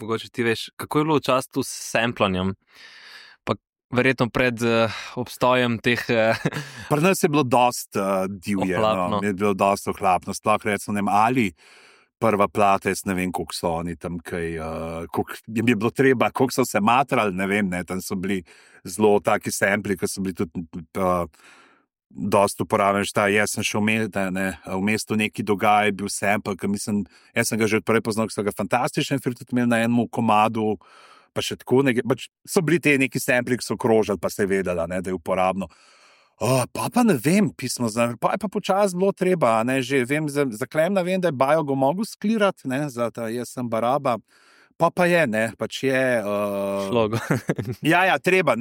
B: mogoče ti veš, kako je bilo v času s samplanjem, pa verjetno pred obstojem teh...
A: Pri nas je bilo dost divje, no, je bilo dost ohlapno, sploh recimo, ne vem, ali prva plata, jaz ne vem, koliko so oni tam, koliko jim je bilo treba, koliko so se matrali, ne vem, ne, tam so bili zelo taki sampli, ki so bili tudi... dost uporaben, jaz sem šel v mestu neki dogaj, bil sample, jaz sem ga že odprej poznal, ki so ga fantastičen, ker tudi imel na enem komadu, pa še tako, pač so bili te neki sampli, ki so krožali, pa se je vedela, ne, da je uporabno. Pa ne vem, pismo, pa je pa počas bilo treba, ne, že vem, za Klemna vem, da je Bajo ga mogel sklirati, ne, za ta jaz sem Baraba, pa je, ne, pač je...
B: Šlogo.
A: Ja, treba,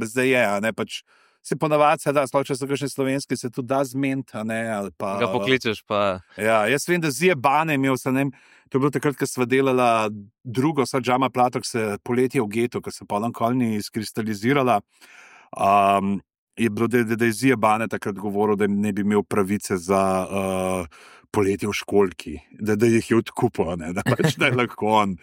A: zdaj je, ne, pač se ponavadi se da, sploh če so kakšne slovenske, se tudi da zment, a ne, ali pa...
B: Ga pokličeš pa...
A: Ja, jaz vem, da Zije Bane imel sem, ne, to je bilo takrat, ko sva delala drugo, Džama Platok, se poletje v getu, ko se potem kolni izkristalizirala, je bilo, da je Zije Bane takrat govoril, da ne bi imel pravice za poletje v školki, da jih je odkupil, ne, da pač da je lahko on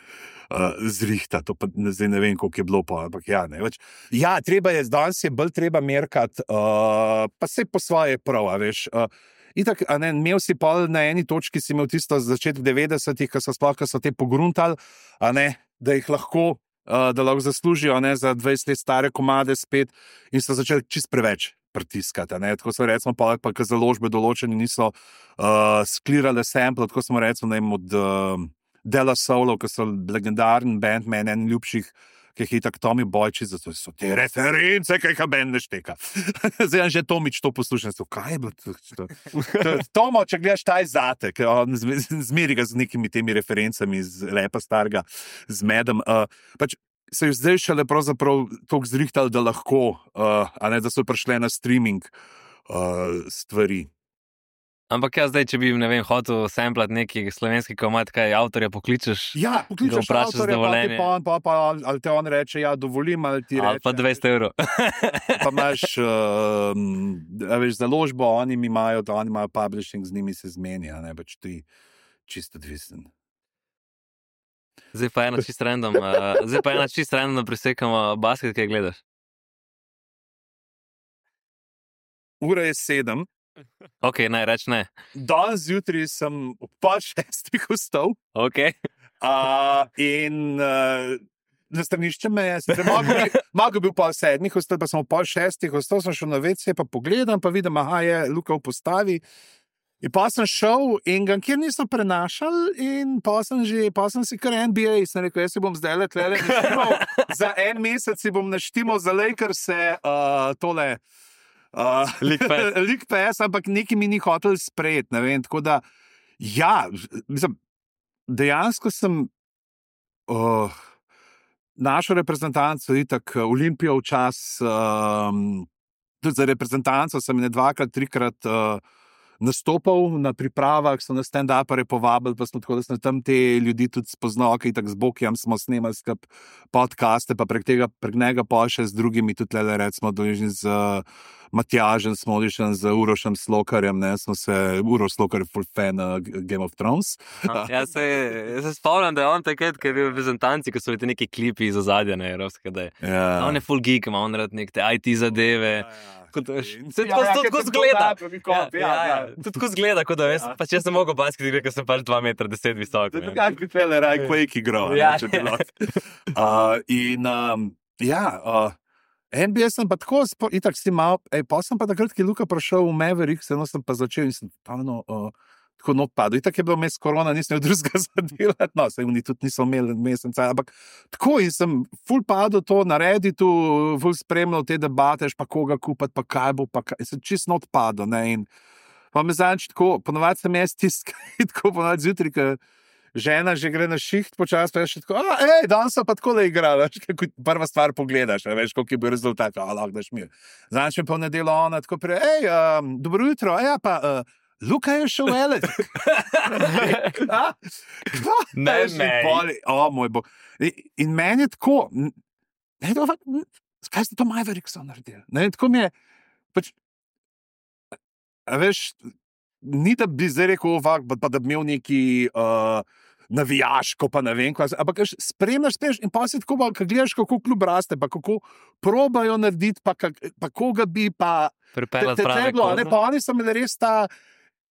A: zrihta, to pa zdaj ne vem, koliko je bilo pa, ampak ja, ne, več. Ja, treba je, danes je bolj treba merkat, pa se po svoje prav, veš, itak, ne, imel si pol na eni točki, si imel tisto začetek 90-ih, ko so te pogruntali, a ne, da jih lahko, da lahko zaslužijo za 20 let stare komade spet in so začeli čist preveč pritiskati. Tako so recimo, pa založbe določene niso sklirale sample, tako smo recimo od Dela Soulov, ki so legendarni band, meni en ljubših, ki jih je tako Tommy Boyčič, zato so te reference, ki jih band ne šteka. Zdaj že Tomič to poslušam, kaj je bilo to? Tomo, če gledaš taj zate, ker on zmeri ga z nekimi temi referencami iz lepa starega, z medem. Pač so jih zdaj šele pravzaprav toliko zrihtali, da lahko, da so prišle na streaming stvari.
B: Ampak zdaj, če bi, ne vem, hotel samplat neki slovenski komad, kaj avtorja pokličeš?
A: Ja, pokličeš avtorja, ali te on reče, ja, dovolim, ali ti reče.
B: Ali pa 200 evrov.
A: Pa imaš, veš, založbo, oni imajo publishing, z njimi se zmenja, pač ti čisto odvisen.
B: Zdaj pa ena čist random, da presekamo basket, kaj gledaš?
A: Ura je 7.
B: Ok, naj reč ne.
A: Danes zjutraj sem ob 5:30 vstal.
B: Ok.
A: In na stranišče me je, malo bil 5:30 vstal, pa sem ob 5:30 vstal, sem šel na WC, pa pogledam, pa vidim, je Luka v postavi. In pa sem šel in ga kjer niso prenašali in pa sem si kar NBA, sem rekel, jaz si bom zdaj letlele naštimal, za en mesec si bom naštimal za Lakers-e tole League Pass, ampak nekaj mi ni hotel sprejeti, ne vem, tako da, ja, mislim, dejansko sem našo reprezentanco, itak Olimpijo včas, tudi za reprezentanco sem ne 2-krat, 3-krat nastopal na pripravah, so na stand-upere povabili, pa smo tako, da sem tam te ljudi tudi spoznal, ki tak z Bokijam smo snemali skup podcaste, pa prek njega pa še z drugimi, tudi recimo z Matjažem Smodišem, z Urošem Slokarjem, smo se, Uroš Slokar je full fan Game of Thrones.
B: Ja, se spomnim, da je on takrat, ki je bil v reprezentanci, ko so bili neki klipi iz ozadja, evropske, da je. Ja. On je full geek, ima on rad neke IT zadeve. Se tako zgleda. Tako zgleda, kot da veš, pač jaz sem mogel basket igrati, ker sem pač 2,10 metra visok.
A: Kaj bi tele raj Quake igral, če bi lahko. NBA sem pa tako, itak si mal, pa sem pa takrat, ki je Luka prišel v Mavericks, sem pa začel in sem tako not padel. Itak je bilo mes korona, nisem drugega zadelati, no, saj oni tudi niso imeli meseca, ampak tako in sem ful padel to na Redditu, ful spremljal te debate, pa koga kupati, pa kaj bo, pa kaj, sem čist not padel, ne, in pa me zanč tako, ponovadi sem jaz tako ponovadi zjutraj, ker žena že gre na šiht počas, pa je še tako, danes so pa tako da igrala, prva stvar pogledaš, veš, koliko je bil rezultat, lahko daš mir. Zanč me pa v nedelo ona tako prej, dobro jutro, pa Luka je šel velet.
B: Ne,
A: moj bog. In meni je tako, kaj ste to Mavericks naredili? Tako mi je, pač, veš, ni da bi zdaj rekel, pa da bi imel neki navijaško, pa ne vem, ampak spremljaš in pa si tako, ko gledaš, kako klub raste, pa kako probajo narediti, pa koga bi pa
B: pripeljati pravilo.
A: Pa oni so imeli res ta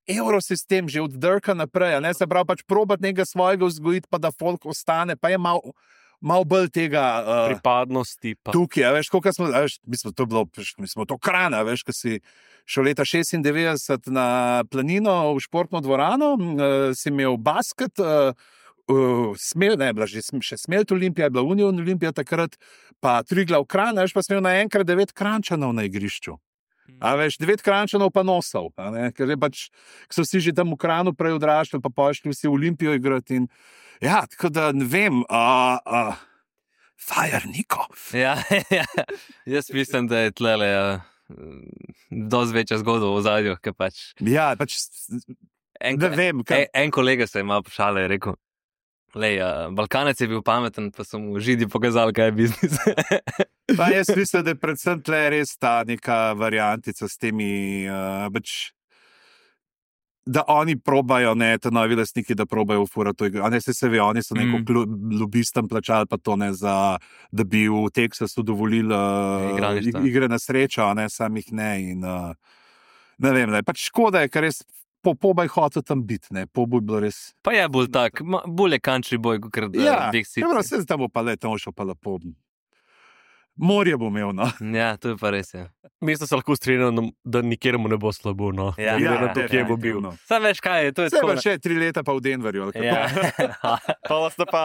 A: evrosistem že od Dirka naprej, se pravi pač probati nekaj svojega vzgojiti, pa da folk ostane, pa je malo bolj tega
D: pripadnosti.
A: Tukaj, veš, koliko smo, mi smo to Krana, veš, ko si šel leta 96 na planino v športno dvorano, si imel basket, še Smelt Olimpija, je bila Union Olimpija takrat, pa Triglav Kran, veš, pa si imel naenkrat 9 Krančanov na igrišču. A veš, 9 Krančanov pa nosov, ker je pač, so vsi že tam v Kranu prej odraščali, pa pošli vsi v Olimpijo igrati in ja, tako da ne vem, Fire Niko.
B: Ja, jaz mislim, da je tlele dosti večja zgodba v ozadju, ker pač.
A: Ja, pač ne vem.
B: En kolega se je malo pošalil, je rekel, Balkanec je bil pameten, pa so mu Židi pokazali, kaj je biznis.
A: Pa jaz mislim, da je predvsem tle res ta neka variantica s temi, da oni probajo, ta novi lastniki, da probajo ufurati to igro. Se ve, oni so neko lobistom plačali pa to, da bi v Teksasu dovolili igre na srečo, samih ne. In, ne vem, pač škoda je, ker res Pobaj hotel tam biti, ne, poboj bilo res.
B: Pa je bolj tak, bolj je country boy, kot
A: Ja,
B: Big City.
A: dobro, se tam bo pa le, tam šel pa lepo. Morje bo imel, no.
B: Ja, to je pa res, ja.
D: Mislim, da se lahko strinjam, da nikjer mu ne bo slabo, no.
B: Ja.
D: Glede na to, kje bo bil.
A: definitivno.
B: Sam veš kaj je, to je
A: Se
B: tako.
A: pa še 3 leta pa v Denverju, ali kako?
B: Ja.
D: Pa vas pa...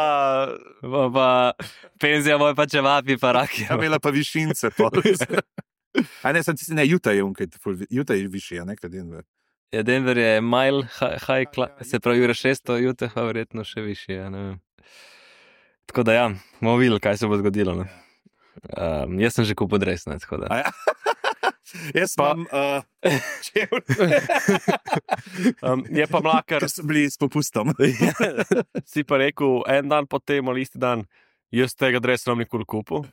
B: Pa penzija moj pa čevapi, pa raki.
A: Ja, imela pa višince. A ne, sem tisti, ne, Utah je višji, ne, kot Denver.
B: Ja, Denver je mile high se pravi ura 600, Utah pa verjetno še višji, ja, ne vem. Tako da ja, bomo videli, kaj se bo zgodilo, ne. Jaz sem že kupil dres, ne, tako da.
A: Ja. Jaz pa imam
D: je pa mlakar,
A: ker so bili s popustom.
D: si pa rekel, en dan potem ali isti dan, jaz tega dresa nam nikoli kupil,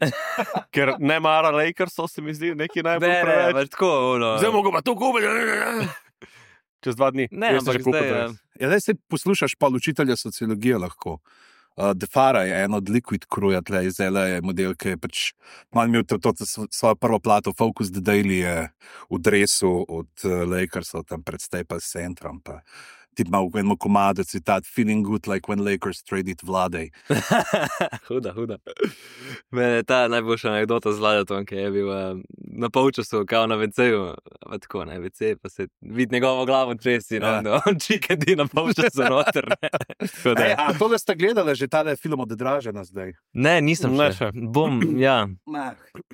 D: ker ne mara Lakersov, se mi zdi, neki najbolj preveč.
B: Tako, ono.
D: Zdaj mogo pa to kupiti. Čez 2 dni.
B: Ne,
D: jaz sem
B: ampak
D: že kupil
B: zdaj,
D: dres.
A: Ja, zdaj se poslušaš pa učitelja sociologije lahko. Defara je en od Liquid Crewja, tle iz LA, model, ki je pač malo imel to svojo prvo plato, Focus the Daily je v dresu od Lakersov, tam pred Staples Centrom, pa ti ima v enem komadu citat Feeling good like when Lakers traded Vladej.
B: Huda. Mene je ta najboljša anekdota z Vladetom, ki je bil na polčasu, kao na WC-ju, pa tako na WC, pa se vidi njegovo glavo česi,
A: Ja.
B: no, on čikedi na polčasu noter. Ne. Tako da-
A: A tole ste gledali že tale film od Dražena zdaj?
B: Ne, nisem
D: Ne
B: še.
D: še.
B: Bom, ja,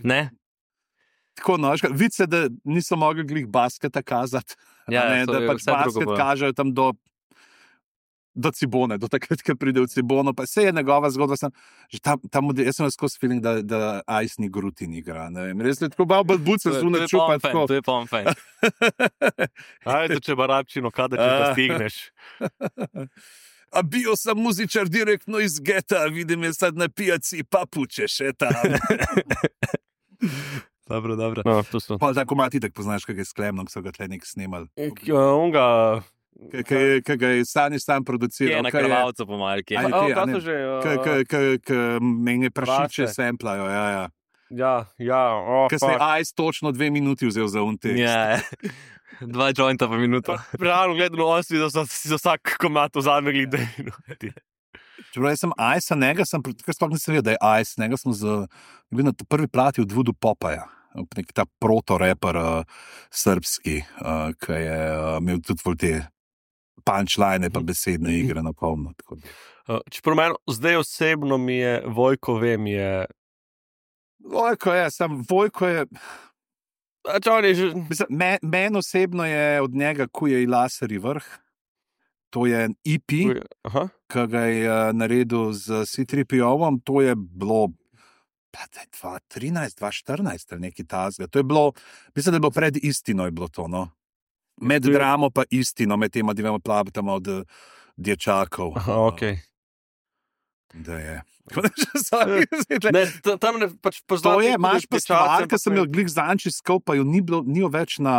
B: ne.
A: Tako, no, vidi se, da niso mogli glih basketa kazati.
B: Ja,
A: ne,
B: to
A: da
B: je
A: pač
B: vse drugo
A: basket
B: bilo.
A: kažejo tam do Cibone, do takrat, ko pride v Cibono. Pa vse je njegova zgodba. Že tam, jaz sem skozi feeling, da Ice ni Grutin igra. Ne vem, res je tako malo buce
B: To je
A: zunaj čupa. Tako.
B: To je pomfen.
D: Ajde, če barabčino, kada če pa stigneš.
A: A bio sam muzičar direktno iz geta, vidim je sad na pijaci papuče še tam.
B: Dobro.
D: No, tu so.
A: Pa tako mati, tako poznaš, kaj je sklemno, ko so ga tle nek snimali.
D: Onga...
A: Kaj ga je Sani sam produciral.
B: Je na krvavcu pomalki.
A: Aj,
D: A,
A: ti, a
D: kaj
A: ne?
D: so že...
A: Meni prašiče
D: Praše.
A: semplajo, ja.
D: Ja,
A: Ker se je Ice točno 2 minuti vzel za untek.
B: Ja, 2 jointa pa minuto.
D: Realno gledano, on si za vsak komat vzame glede.
A: Čeprav jaz sem Ice, njega sem, ker sploh nisem vedel, da je Ice, njega sem bil na prvi plati od Voodoo Popaja, nek ta proto-reper srbski, ki je imel tudi te punchline pa besedne igre na polno.
D: Čeprav meni, zdaj osebno mi je, Vojko vem, je...
A: Vojko je,
D: on je že...
A: mislim, meni osebno je od njega Kuje i Laseri vrh. To je en EP,
D: Aha.
A: ki ga je naredil z C3PO-om, to je bilo 2013, 2014 ali nekaj tazga. To je bilo, mislim, da je bilo pred istino je bilo to, no. Med dramo pa istino, med tema dvema plabtama od dječakov.
D: Aha, okej.
A: Da je.
D: Ne, tam ne pač poznam...
A: To je, imaš pa stvar, ki sem jo glih zanči skal, pa jo ni jo več na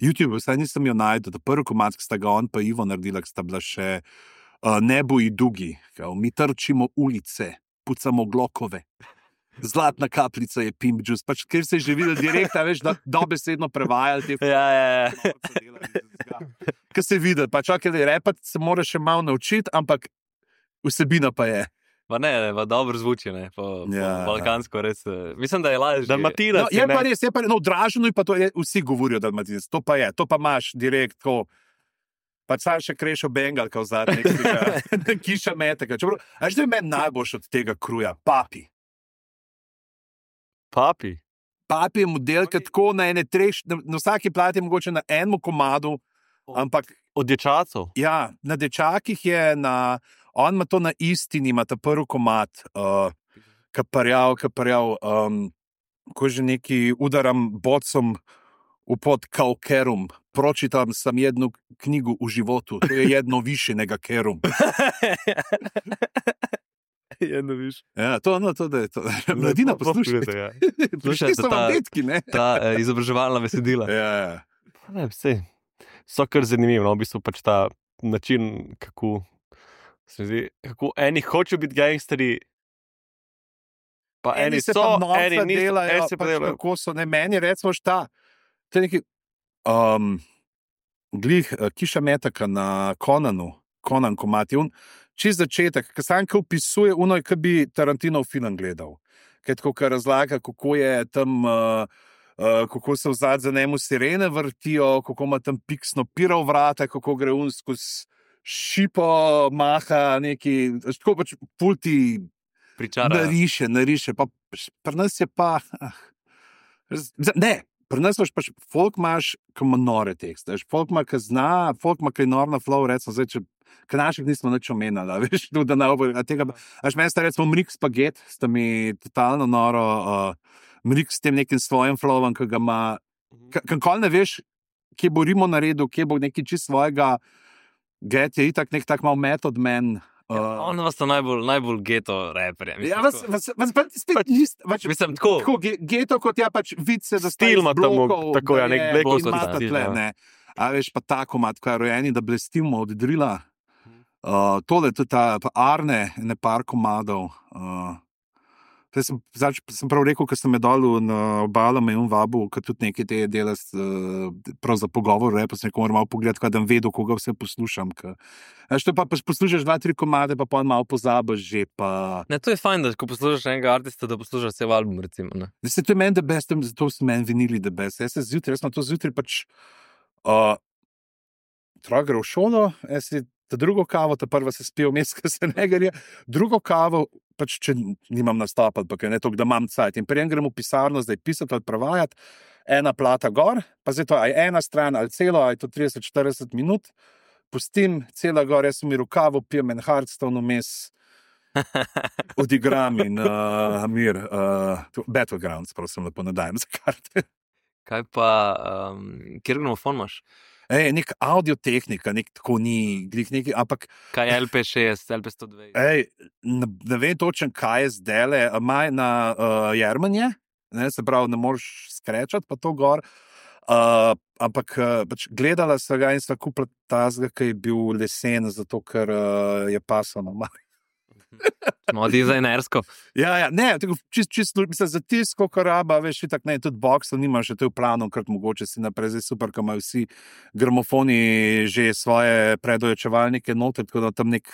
A: YouTube, vsaj nisem jo najdel. Prvi komad, ki sta ga on pa Ivo naredila, ki sta bila še Nebo i Dugi. Kao, mi trčimo ulice, pucamo glokove. Zlatna kapljica je Pimp Juice, pač ker se je že videl direktno, veš, da dobesedno prevajali te
B: Ja.
A: Ker se vidi, pač ok, repati se moraš še malo naučiti, ampak vsebina pa je.
B: Pa ne, pa dobro zvuči, ne, po balkansko res. Mislim, da je lažje.
D: Dalmatinac
A: No, je pa res, no, v Draženu pa to je, vsi govorijo dalmatinec, to pa je, to pa imaš direkt, ko pač sam še krešo Bengal, kao zadnji, kiša metega. A že je meni najboljš od tega kruja? Papi. Papi je model, ki tako na vsaki plati je mogoče na enem komadu, ampak
D: Od dječacov?
A: ja, na dečakih je on ima to na istini, ima ta prvi komad, kaparjav, ko že neki udaram bocom v pod kaukerum, pročitam sam jednu knjigu u životu, to je jedno više nego kerum.
D: Jedno više.
A: Ja, to da je to. Mladina, poslušajte.
D: Ja.
A: Prišli so vam detki, ne?
B: Ta izobraževalna besedila.
A: Ja.
D: Ne, vse. So kar zanimivo, no, v bistvu pač ta način, kako se mi zdi, kako eni hočejo biti gangsteri, pa eni
A: se
D: so,
A: pa norca
D: eni niso,
A: delajo,
D: eni se pa
A: pač
D: delajo.
A: kako so, ne, meni recimo šta, to je neki, Kiša Metaka na Conan Komati, čez začetek, ki sam opisuje, ki bi Tarantinov film gledal. Ker razlaga, kako je tam, kako se vzad za njemu sirene vrtijo, kako ima tam piksno piro vrata, kako gre skozi šipo, maha neki, tako pač pulti nariše. Pa pri nas je pa, ne, pri nas pač folk imaš, ki ima nore tekste, folk ima, ki zna, folk ima, ki je nor na flow, recimo zdaj, ker naših nismo nič omenjali, veš, da ne bo tega, meni sta recimo Mrik Spaget, sta mi totalno noro, Mrik s tem nekim svojim flowom, ki ga ima, kakoli ne veš, kje bo Rimo naredil, kje bo nekaj čist svojega, Get je itak nek tak mal method man.
B: On vas sta najbolj geto reperje.
A: Ja, vas spet niste,
B: mislim, tako
A: geto, kot ja pač vidce za
D: stil ima tam, tako ja, nek bleko
A: stil. A veš, pa tako mat, ko je rojeni, da blestimo od drila. Tole tudi ta Arne, ne par komadov. Sem prav rekel, ko sem me dol na obalo, me je vabil, ker tudi nekaj te dela prav za pogovor, pa sem rekel, moram malo pogledati, da vedo, koga vse poslušam. To pa poslušaš 2-3 komade, pa malo pozabiš že.
B: Ne, to je fajn, da ko poslušaš enega artista, da poslušaš cel album, recimo. Ne?
A: To je meni the best, zato so meni vinili the best. Jaz sem to zjutraj pač gre v šolo, jaz si ta drugo kavo, ta prva se spijo vmes, ker se ne gre, drugo kavo, pač če nimam nastopa, pa ker ne toliko, da imam cajt. In prijem grem v pisarno, zdaj pisati ali prevajati, ena plata gor, pa zdaj to, aj ena stran ali celo, aj to 30-40 minut, pustim cela gor, jaz sem mi rukavo, pijem en Hearthstone vmes, odigram in mir, Battlegrounds, prosim, lepo nadajem za karte.
B: Kaj pa, kjer gramofon imaš?
A: Nek audiotehnika, nek tako ni, neki, ampak...
B: Kaj je LP6, LP102?
A: Ne vem točen, kaj je zdele, maj na Jermanje, se pravi, ne moreš skrečati, pa to gor, ampak pač gledala sem ga in sva kupila tazga, ki je bil lesen, zato ker je pasano malo.
B: Smo dizajnersko.
A: Ja, ne, čisto, mislim, za tisko, kar raba, veš, itak ne, tudi boxo nimaš, to je v planu, krat mogoče si naprej, zdaj super, ko imajo vsi gramofoni že svoje predojačevalnike noter, tako da tam nek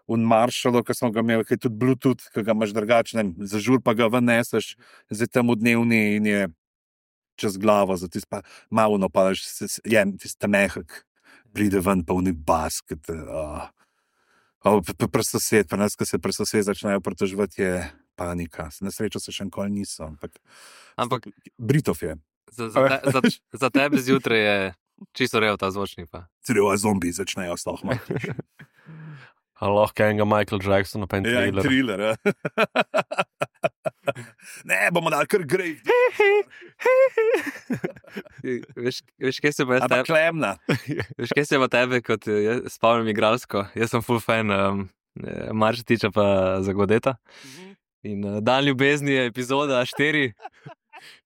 A: Marshall, ki smo ga imeli, ki je tudi Bluetooth, ki ga imaš drugačen, zažur pa ga ven neseš, zdaj tam v dnevni in je čez glavo, za tisto pa malo napadaš, tisto mehak, pride ven pa v nek basket, Presosed, pa nas, ko se presosed začnejo pritoževati, je panika. Na srečo se še nikoli niso, ampak Britov je.
B: Za tebe zjutraj je čisto real ta zvočnik pa.
A: Celo zombi začnejo slohma.
D: Lahko enega Michael Jacksona, pa en thriller.
A: Ja, thriller, ja. Ne, bomo dali kar grej.
B: Veš, kaj se bo jaz tebe...
A: Ampak klemna.
B: Veš, kaj se bo tebe, kot spomnim igralsko. Jaz sem full fan Maršetiča pa Zagodeta. In Dan ljubezni je epizoda 4.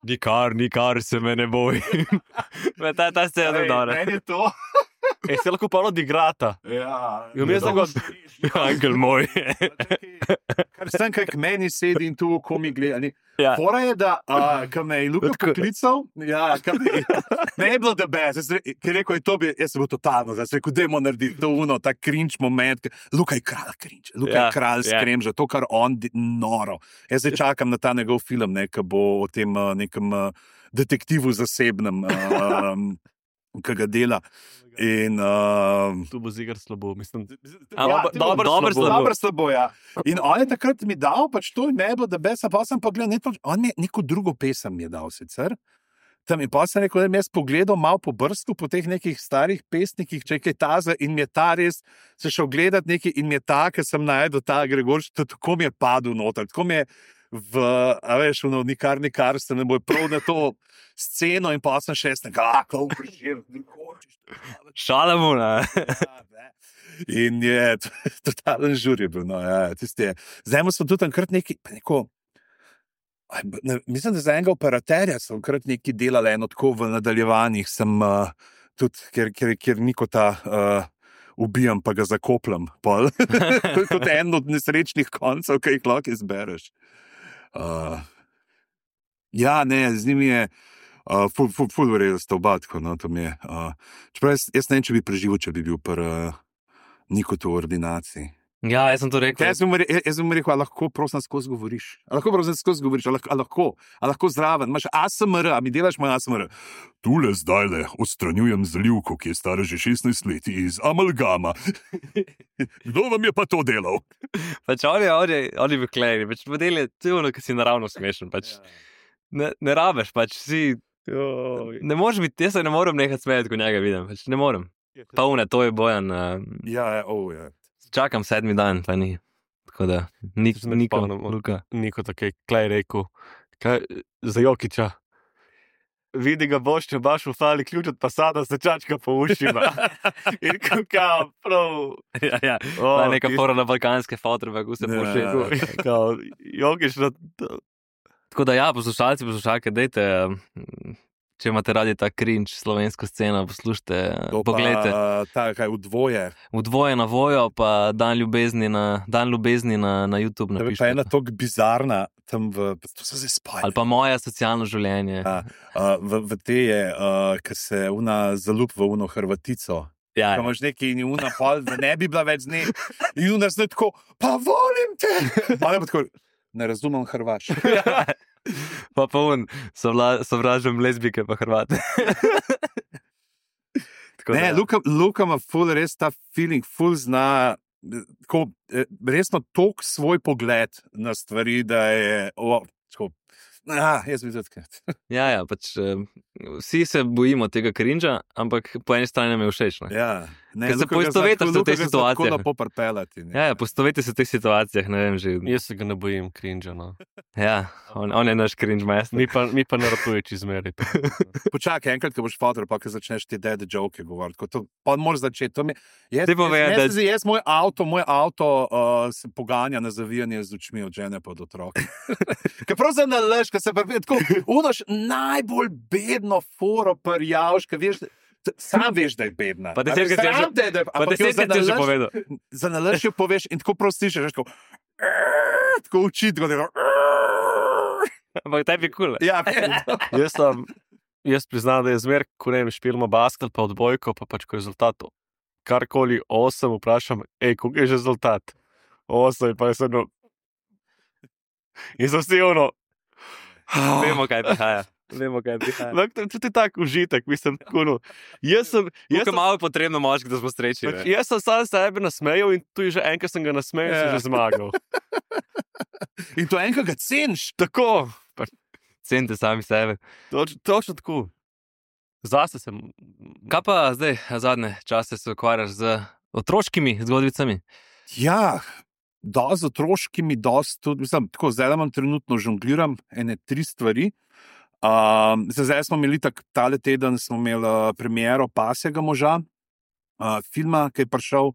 B: Nikar se me ne boj. Ta scena je dobra.
A: Meni je to...
D: Se lahko pa odigrata.
A: Ja.
D: Angel moj.
A: Kar sem, kaj k meni sedi in tu, ko mi gleda.
B: Ja.
A: Fora je, da, ko me je Luka poklical, ja, ne je bilo the best, ki je rekel, jaz sem bil totalno, zdaj sem rekel, dajmo narediti to ta cringe moment, Luka je kralj cringe, Luka je kralj skremža, to, kar on noro. Jaz zdaj čakam na ta njegov film, ki bo o tem nekem detektivu zasebnem, ki ga dela. In
D: tu bo zigar slabo, mislim.
A: Dobro slabo, ja. In on je takrat mi dal, pač to je bilo, da besa, pa sem pogledal, on mi je neko drugo pesem je dal sicer. Tam in pa sem rekel, da mi jaz pogledal malo po brstu, po teh nekih starih pesnikih, če je kaj taza in mi je ta res, se šel gledati nekaj in mi je ta, ker sem najdel ta Gregorč, tako mi je padel noter, tako mi je nikar se ne bo prav na to sceno in pa sem šest, kako vprašil,
B: Šalamuna.
A: In je totalen žur je bil, no, ja, tisti je. Zdaj smo tudi enkrat mislim, da za enega operaterja sem enkrat nekaj delal eno tako v nadaljevanjih, sem tudi, ker niko ta ubijam, pa ga zakopljam, pol. To je tudi en od nesrečnih koncev, ki jih lahko izbereš. Ja, ne, z njimi je, Ful verjetno sta oba tako, no, to mi je. Čeprav jaz ne vem, če bi preživel, če bi bil Nikotu v ordinaciji.
B: Ja, jaz sem to rekel.
A: Jaz bi mu rekel, a lahko prosim skozi govoriš. A lahko zraven. Imaš ASMR, a mi delaš moj ASMR. Tule zdajle odstranjujem zalivko, ki je stara že 16 let iz amalgama. Kdo vam je pa to delal?
B: Pač oni bi klejni, pač model je ono, ki si naravno smešen. Pač. Ne rabeš, pač si... Ne moreš biti, jaz se ne morem nehati smejati, ko njega vidim. Pač ne morem. Pa une, to je Bojan.
A: Ja.
B: Čakam 7. dan, pa ni. Tako da,
D: Niko tako klej rekel, za Jokića. Vidi ga boš, če baš ufali ključ od Passata, se čačka po ušima. In kao, prav.
B: Ja. Neka fora na balkanske fotre, kako se pošli.
D: Kao, Jokić na...
B: Tako da ja, poslušalke, dejte... Če imate radi ta cringe slovensko sceno, poslušajte, pogledajte.
A: Kaj, v dvoje.
B: V dvoje na Vojo, pa Dan ljubezni na YouTube napišite.
A: Pa ena tok bizarna, tam to se zdaj spali.
B: Ali pa Moje socialno življenje.
A: V te je, ki se zalup v uno Hrvatico.
B: Ja.
A: Ko imaš nekaj in una pol, da ne bi bila več z njej. In una zdaj tako, pa volim te! Pa tako, ne razumem Hrvaško.
B: Pa sovražim lezbike pa Hrvate.
A: Ne, Luka ima ful res ta feeling, ful zna resno tok svoj pogled na stvari, da je jaz bi zatkrat.
B: Ja, pač vsi se bojimo tega cringe-a, ampak po eni strani nam je všeč.
A: Ja.
B: Ker se poistovetiš v teh situacijah. Ja, poistovetiš se v teh situacijah, ne vem že.
D: Jaz se ga ne bojim cringe-a, no.
B: Ja, on je naš cringe master.
D: Mi pa ne ratuješ izmeri.
A: Počakaj, enkrat, ko boš fotor, pa ko začneš ti dede joke govoriti. Pa moraš začeti. Moj avto se poganja na zavijanje z očmi od žene pa od otroka. Ker prav za nalaž, ker se prvi tako unoš najbolj bedno foro prjavš, ker veš, sam veš, da je bedna.
B: Pa 10 krat že povedal.
A: Za nalaž jo poveš in tako prosto slišiš, tako učiti, tako da
B: ampak tebi je kul.
A: Ja,
D: jaz priznam, da je zmer, ko ne vem, špilimo basket, pa odbojko, pa pač ko rezultatov. Karkoli 8 vprašam, koliko je že rezultat? 8, pa je se in so vsi ono.
B: Vemo, kaj prihaja.
D: To je tak užitek, mislim, tako. Jaz sem
B: malo potrebno moški, da smo srečni.
D: Jaz sem sam sebe nasmejal in tu je že enkrat sem ga nasmejal, sem že zmagal.
A: In to enkrat ga ceniš.
D: Tako.
B: Cenite sami sebe.
D: Točno tako. Zase sem...
B: Kaj pa zdaj, zadnje čase se ukvarjaš z otroškimi zgodbicami?
A: Ja, z otroškimi, tudi, mislim, tako, zdaj imam trenutno žongliram 3 stvari. Zdaj smo imeli tale teden, smo imeli premiero Pasjega moža, filma, ki je prišel,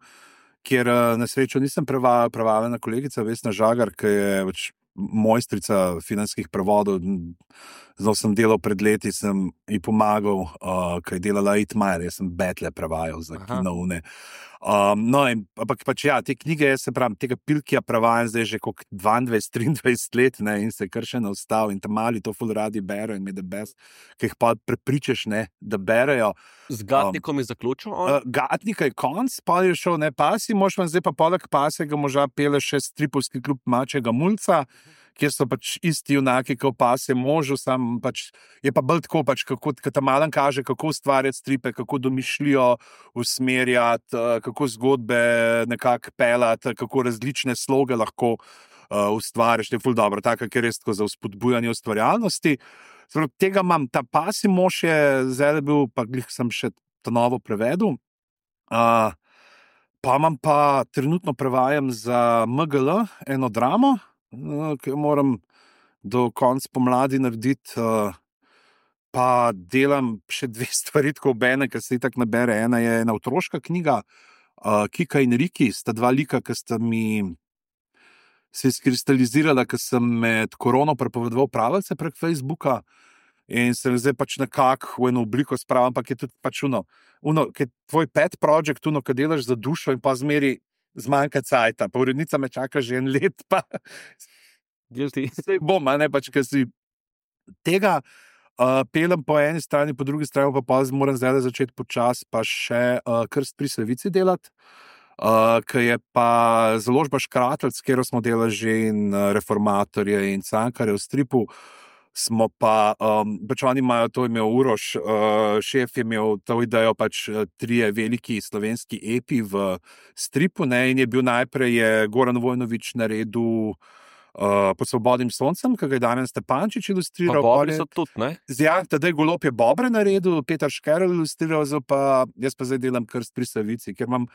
A: kjer na srečo nisem prevaljena kolegica Vesna Žagar, ki je mojstrica filmskih prevodov. Zdaj sem delal pred leti, sem ji pomagal, ki je delala Itmajer, jaz sem Betle prevajal za kinoune. Ampak pač ja, te knjige, jaz se pravim, tega Pilkija prevajam zdaj že kot 22-23 let, ne, in se kar še ne ostal in tam mali to ful radi berejo in me da best, ki jih pa prepričaš, ne, da berejo.
D: Z Gatnikom je zaključil?
A: Gatnika je konc, pa je šel, ne, Pasi, mož vam zdaj pa poleg Pasjega moža pele še stripovski klub Mačjega mulca, kjer so pač isti junaki, kot Pasje možu, sam pač je pa bolj tako, pač kako ta malen kaže, kako ustvarjati stripe, kako domišljijo usmerjati, kako zgodbe nekako pelati, kako različne sloge lahko ustvariš, je ful dobro, tako, ker je res tako za vzpodbujanje ustvarjalnosti. Tega imam, ta Pasji mož je zdaj bil, pa glih sem še to novo prevedel. Pa imam pa trenutno prevajam za MGL eno dramo, ki moram do konca pomladi narediti, pa delam še 2 stvari tako obene, ker se itak nabere. Ena je ena otroška knjiga, Kika in Riki, sta 2 lika, ki sta mi se izkristalizirala, ker sem med korono prepovedoval pravljice prek Facebooka in sem zdaj pač nekako v eno obliko spravil, ampak je tudi pač ki je tvoj pet project, ki delaš za dušo in pa zmeri zmanjka cajta, pa urednica me čaka že 1 let, pa
B: Guilty.
A: bom, ne, pač, ker si tega pelem po eni strani, po drugi strani pa moram zdaj začeti počasi pa še Krst pri Savici delati, ki je pa založba Škratelc, s katero smo delali že in Reformatorje in Cankarje v stripu, smo pa, pač oni imajo, to imel Uroš, šef je imel to idejo, pač 3 veliki slovenski epi v stripu, ne, in je bil najprej Goran Vojnović naredil Pod svobodnim soncem, ki ga je Damjan Stepančič ilustriral.
D: Bobri so tudi, ne?
A: Ja, tedaj Golob je Bobre naredil, Peter Škerl ilustriral, jaz pa zdaj delam Krst pri Savici, ker imam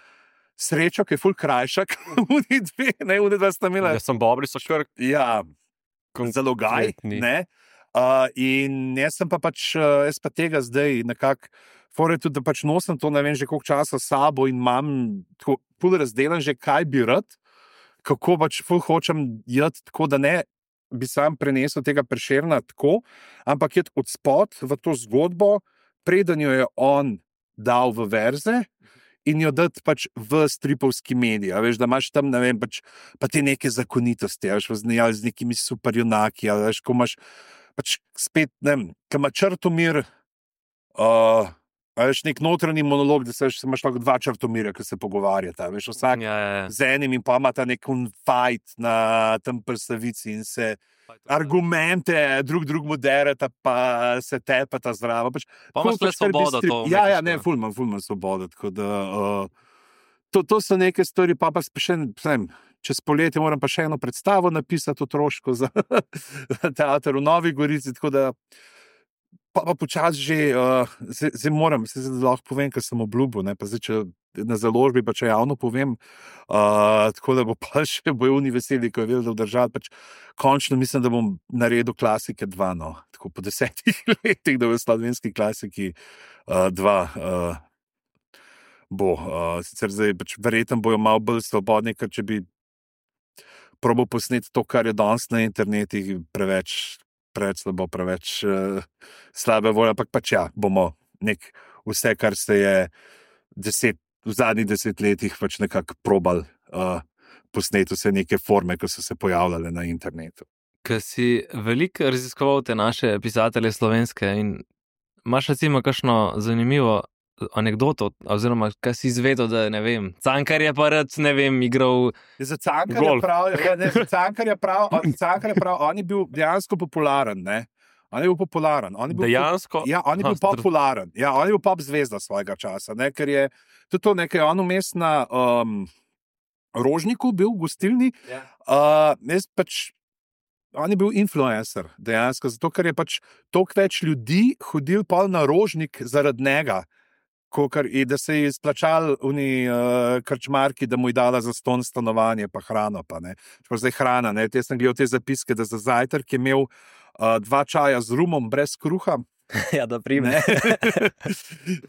A: srečo, ki je ful krajšak, unidva sta imela.
D: Jaz sem Bobri so kar...
A: Ja, zalogaj, ne? In jaz sem pa pač, jaz pa tega zdaj nekako, fore tudi, da pač nosim to, ne vem, že koliko časa s sabo in imam tako ful razdelan že, kaj bi rad, kako pač ful hočem jeti, tako da ne bi sam prenesel tega Prešerna tako, ampak jeti od spod v to zgodbo, preden jo je on dal v verze in jo dati pač v stripovski medij. Veš, da imaš tam, ne vem, pač, pa te neke zakonitosti, veš, z nekimi superjunaki, veš, ko imaš pač spet, ne vem, ko ima Črtomir, veš, nek notranji monolog, da se imaš lahko 2 Črtomirja, ki se pogovarjata, veš, vsak z enim in pa ima ta nek fight na tem pri Savici in se argumente drug dereta, pa se tepata zdravo. Pač,
B: pa imaš pač svobodo to.
A: Ja, ne, ful imam svobodo, tako da to so neke stvari, pa še čez poletje moram pa še eno predstavo napisati otroško za teater v Novi Gorici, tako da pa počasi že, zdaj moram, se lahko povem, ker sem obljubil, ne, pa zdaj, če na založbi, pa če javno povem, tako da bo pa še bojuni veseli, ko je vedel, da v državi, pač končno mislim, da bom naredil Klasike 2, no, tako po 10 letih, da v slovenski klasiki 2 bo, sicer zdaj, pač verjetno bojo malo bolj svobodni, ker če bi probal posneti to, kar je danes na internetih, preveč slabo, preveč slabe volje, ampak pač ja, bomo vse, kar se je v zadnjih 10 letih pač nekako probal posneti vse neke forme, ki so se pojavljale na internetu.
B: Ker si veliko raziskoval te naše pisatelje slovenske in imaš recimo kakšno zanimivo anekdoto, oziroma kaj si izvedel, da ne vem, Cankar je pa rad, ne vem, igral
A: za Cankarja prav, on je bil dejansko popularen, ne? On je bil popularen.
D: Dejansko?
A: Ja, on je bil popularen. Ja, on je bil pop zvezda svojega časa, ne? Ker je tudi to nekaj, on vmes na Rožniku bil v gostilni, on je bil influencer dejansko, zato ker je pač toliko več ljudi hodil pol na Rožnik zaradi njega, da se je izplačal krčmarki, da mu je dala zastonj stanovanje, pa hrano, pa ne. Zdaj hrana, ne. Jaz sem gledal te zapiske, da za zajtrk je imel 2 čaja z rumom brez kruha.
B: Ja, da prime.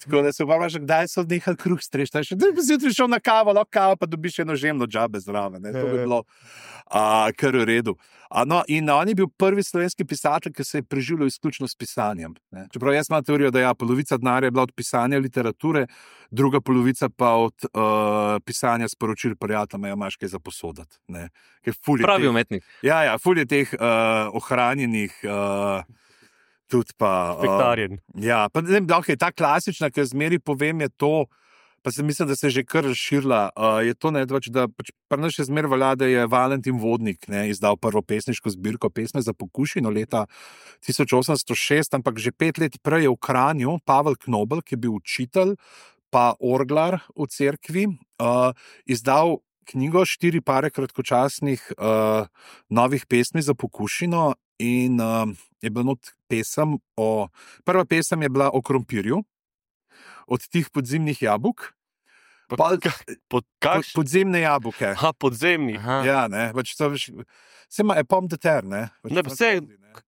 A: Tako da se upam, že kdaj so nehali kruh strešti. Da bi zjutraj šel na kavo, lahko kavo, pa dobiš eno žemno džabe zraven. To bi bilo kar v redu. No, in on je bil prvi slovenski pisatelj, ki se je preživljal izključno s pisanjem. Ne. Čeprav jaz imam teorijo, da polovica denarja je bila od pisanja literature, druga polovica pa od pisanja sporočil prijateljem, imaš kaj za posodati.
B: Pravi umetnik.
A: Ja, ful je teh ohranjenih tudi pa...
D: Spektarjen.
A: Ja, pa ne vem, da je ta klasična, ki zmeri povem, je to, pa se mislim, da se je že kar razširila, je to, ne, da pač pri nas še zmer velja, da je Valentin Vodnik, ne, izdal prvo pesniško zbirko Pesme za pokušino leta 1806, ampak že 5 let prej je v Kranju Pavel Knobel, ki je bil učitelj, pa orglar v cerkvi, izdal knjigo 4 pare kratkočasnih novih pesmi za pokušino in je bila not pesem prva pesem je bila o krompirju, od tih podzemnih jabolk. Podzemne jabolke.
D: Podzemni.
A: Ja, ne, pač to veš, se ima epom deter, ne.
D: Ne, pa vse,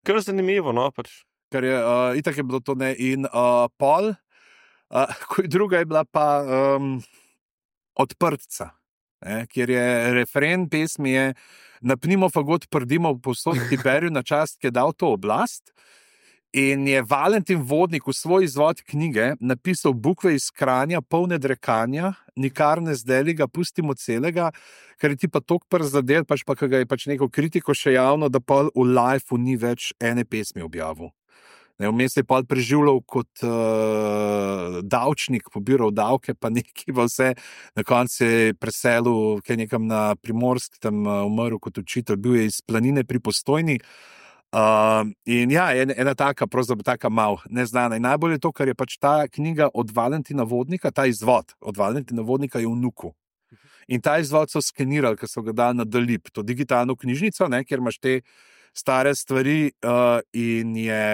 D: kar zanimivo, no, pač.
A: Ker je, itak je bilo to, ne, in pol, druga je bila pa Odprtca, ne, kjer je refren pesmi je napnimo fagot prdimo povsod Tiberju na čast, ki je dal to oblast. In je Valentin Vodnik v svoj izvod knjige napisal bukve iz Kranja, polne drekanja, nikar ne zdeli ga, pustimo celega, ker je ti pa tok prizadel, pač pa, ki ga je pač neko kritiko še javno, da pa v life-u ni več ene pesmi objavil. Vmes je pa preživljal kot davčnik, pobiral davke, pa nekaj pa vse. Na koncu je preselil nekam na Primorsk, tam umrl kot učitelj, bil je iz Planine pri Postojni. In ja, ena taka, pravzaprav taka mal neznana. In najbolj je to, ker je pač ta knjiga od Valentina Vodnika, ta izvod od Valentina Vodnika je v Nuku. In ta izvod so skenirali, ker so ga dali na Dalip, to digitalno knjižnico, kjer imaš te stare stvari in je...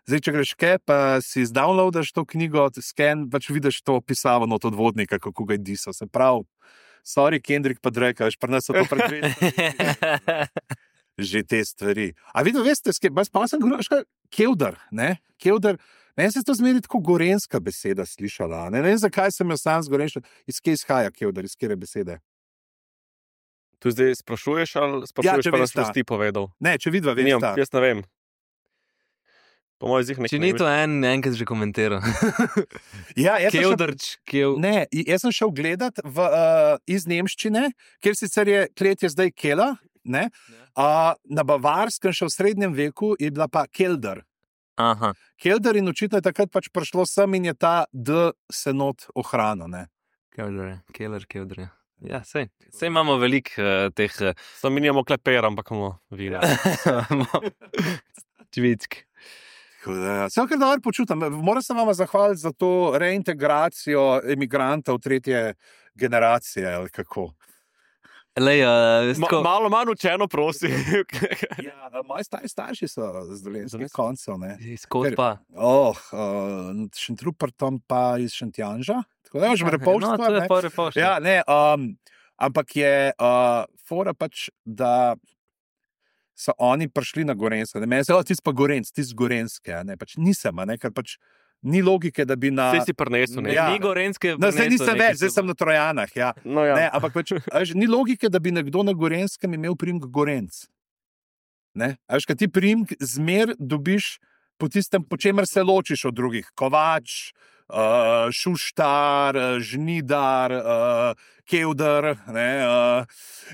A: Zdaj, če greš kaj, pa si izdownloadaš to knjigo, sken, pač vidiš to pisavo od Vodnika, kako ga je disal. Se pravi, sorry, Kendrick pa Drake, veš, pri nas so to predvedi. Že te stvari. A veste, pa sem govoril, Kevdar, ne? Kevdar, meni se to zmeri tako gorenska beseda slišala. Ne vem, zakaj sem jo sam zgorenšal. Iz kje izhaja Kevdar, iz kjere besede?
D: Tu zdaj sprašuješ ali sprašuješ, pa nas boš ti povedal?
A: Ne, če vidva veste.
D: Jaz ne vem. Po mojem zih nekaj.
B: Če ni to enkrat že komentiral.
A: Ja,
B: Kevdarč,
A: Ne, jaz sem šel gledat iz nemščine, kjer sicer je kletje zdaj Kela, ne? Na Bavarskem še v srednjem veku je bila pa Keldar.
B: Aha.
A: Keldar in očitno je takrat pač prišlo sem in je ta D se not ohranil, ne?
B: Keldar. Ja, sej imamo veliko teh...
D: Sam mi nimamo kleper, ampak imamo vina.
B: Čvitk.
A: Sem kar dobro počutim. Moram se vam zahvaliti za to reintegracijo emigrantov tretje generacije, ali kako.
B: Lej,
D: malo manj učeno, prosi.
A: Ja, moji starši so z dolenskih koncev, ne.
B: Izkot pa.
A: Šentrupertom pa iz Šentjanža. Tako da imaš Repovštvo,
B: to je pa Repovštvo.
A: Ja, ne, ampak je fora pač, da so oni prišli na Gorenjsko. Ne, meni se ti pa Gorenc, ti z Gorenjske, ne, pač nisem, ne, ker pač ni logike, da bi na...
D: Vse si prinesel, ne?
B: Ja. Ni Gorenjske
A: No, zdaj nisem več, zdaj sem na Trojanah, ja.
D: No, ja.
A: Ne, ampak pač, ni logike, da bi nekdo na Gorenskem imel priimek Gorenc. Ne? Veš, kaj ti priimek zmer dobiš po tistem, po čemer se ločiš od drugih. Kovač, Šuštar, Žnidar, Kevdar,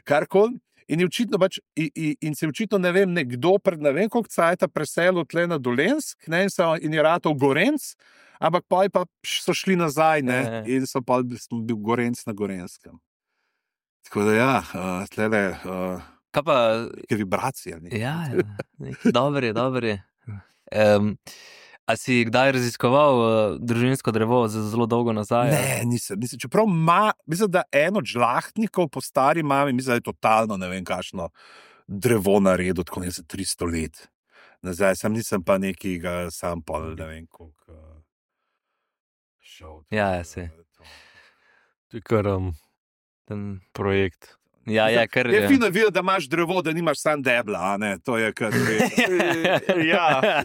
A: karkoli. In se očitno, ne vem, nekdo pred ne vem koliko cajta preselil tle na Dolensk, ne, in je ratal Gorenc, ampak pa so šli nazaj, ne, in so pa bil Gorenc na Gorenskem. Tako da ja, tlele
B: Kaj pa...
A: neke vibracije.
B: Ja, dober je. A si kdaj raziskoval družinsko drevo za zelo dolgo nazaj?
A: Ne, nisem. Čeprav mislim, da en od žlahtnikov po stari mami, mislim, da je totalno ne vem kakšno drevo naredil, tako ne za 300 let. Nazaj nisem pa nekega sam pol, ne vem koliko šel.
B: Ja, se.
D: To je kar projekt.
B: Ja, kar
A: je. Je fino videti, da imaš drevo, da nimaš sam debla, a ne? To je kar
D: ja.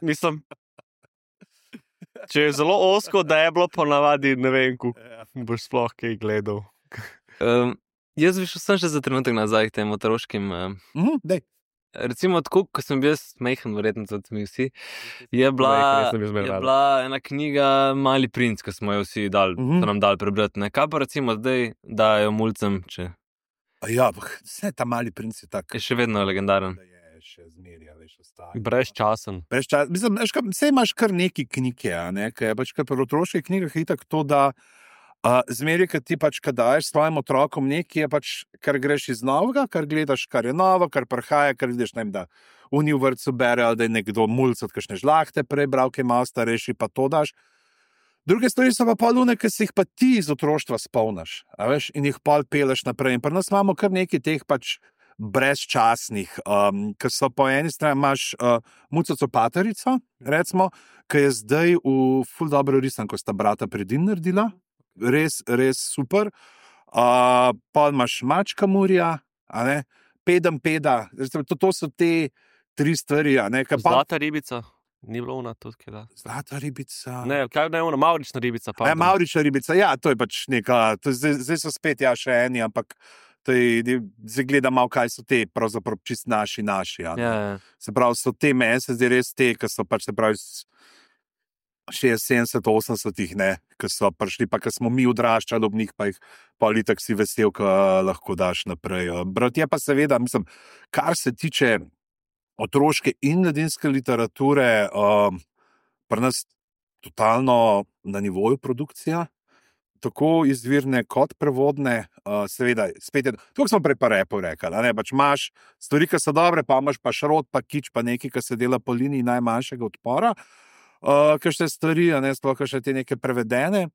D: Mislim, če je zelo osko deblo, ponavadi ne vem, kako boš sploh kaj gledal.
B: Jaz bi šel še za trenutek nazaj k tem otroškim.
A: Dej.
B: Recimo, tako, ko sem bil mehen, verjetno tudi mi vsi, je bila ena knjiga Mali princ, ki smo jo vsi dali, so nam dali prebrati. Ne? Kaj pa recimo zdaj dajo mulcem, če...
A: Ja, vse ta Mali princ je tak.
B: Je še vedno legendaren.
A: Še zmerja, veš, ostaja.
D: Brezčasen.
A: Mislim, vse imaš kar neki knjige, ne? Kaj je pač kar pri otroških knjigah je tako to, da zmeri, kad ti pač, kad daješ svojim otrokom nekaj, je pač, kar greš iz novega, kar gledaš, kar je novo, kar prihaja, kar vidiš, ne vem, da v vrtcu bere, ali da je nekdo mulc od kakšne žlahte prebral, ki je malo starejši, pa to daš. Druge stvari so pa polune, ki si jih pa ti iz otroštva spomniš, a veš, in jih pol peleš naprej. In pri nas imamo kar nekaj teh pač brezčasnih, ki so po eni strani imaš Mucaco Paterico, recimo, ki je zdaj v ful dobro risanko, sta brata Predin naredila. Res super. Pa imaš Mačka Murja, Peda. To so te 3 stvari.
D: Zlata ribica. Ni bilo ona tudi, kaj da.
A: Zlata ribica.
D: Ne, kaj ne ona, Mavrična ribica.
A: Mavrična ribica, ja, to je pač neka, zdaj so spet še eni, ampak zdaj gledam malo, kaj so te, pravzaprav čist naši.
B: Ja.
A: Se pravi, so te meni se zdaj res te, ki so pač, se pravi, 60, 80, ne, ki so prišli, pa ki smo mi odraščali ob njih, pa jih politik si vesel, ko lahko daš naprej. Brat je pa seveda, mislim, kar se tiče otroške in mladinske literature, pri nas totalno na nivoju produkcija, tako izvirne kot prevodne, seveda, spet je, tukaj smo prej pa repo rekli, ne, pač imaš stvari, ki so dobre, pa imaš pa šrot, pa kič, pa nekaj, ki se dela po liniji najmanjšega odpora, kakšne stvari, ne, sploh kakšne te neke prevedene,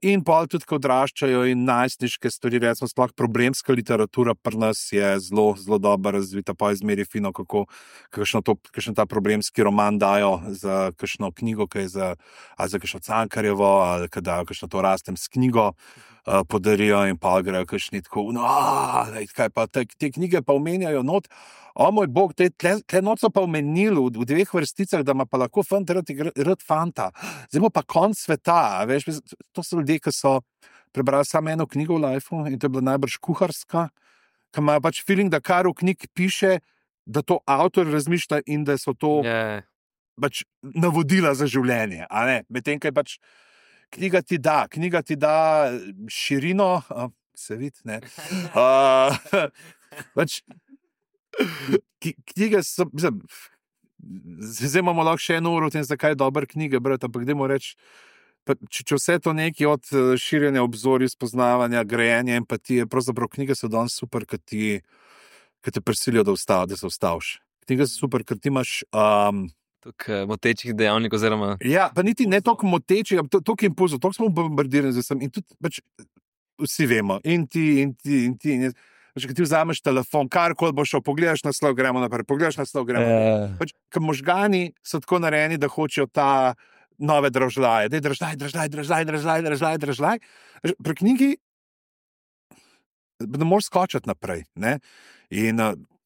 A: in pol tudi, ko odraščajo in najstniške stvari, recimo sploh problemska literatura pri nas je zelo, zelo dobro razvita, pa izmeri fino, kako kakšen ta problemski roman dajo za kakšno knjigo, ki je za kakšno Cankarjevo, ali kad dajo kakšno to rastem s knjigo, podarijo in pa grejo kakšni tako, kaj pa te knjige pa omenjajo not, o moj bog, te not so pa omenili v 2 vrsticah, da ima pa lahko fant rad fanta. Zdaj bo pa konc sveta, veš, to so ljudje, ki so prebrali samo eno knjigo v lifeu in to je bila najbrž kuharska, ki imajo pač feeling, da kar v knjigi piše, da to avtor razmišlja in da so to pač navodila za življenje, a ne? Medtem, kaj pač knjiga ti da širino, se vidi, ne? Pač knjige so, mislim, zdaj imamo lahko še 1 uro v tem, zakaj je dober knjige brati, ampak dajmo reči, če vse to nekaj od širjenja obzorja, spoznavanja, grajenja, empatije, pravzaprav knjige so danes super, ki te prisilijo, da se ustaviš. Knjige so super, ker ti imaš
B: Toliko motečih dejavnikov, oziroma...
A: Ja, pa niti ne toliko motečih, ampak toliko impulzov, toliko smo bombardirani z vsem in tudi pač vsi vemo, in ti. Če ti vzameš telefon, karkoli boš šel, pogledaš naslov, gremo naprej, Pač, ker možgani so tako narejeni, da hočejo ta nove dražljaje. Dražljaj. Pri knjigi ne moreš skočiti naprej. Ne? In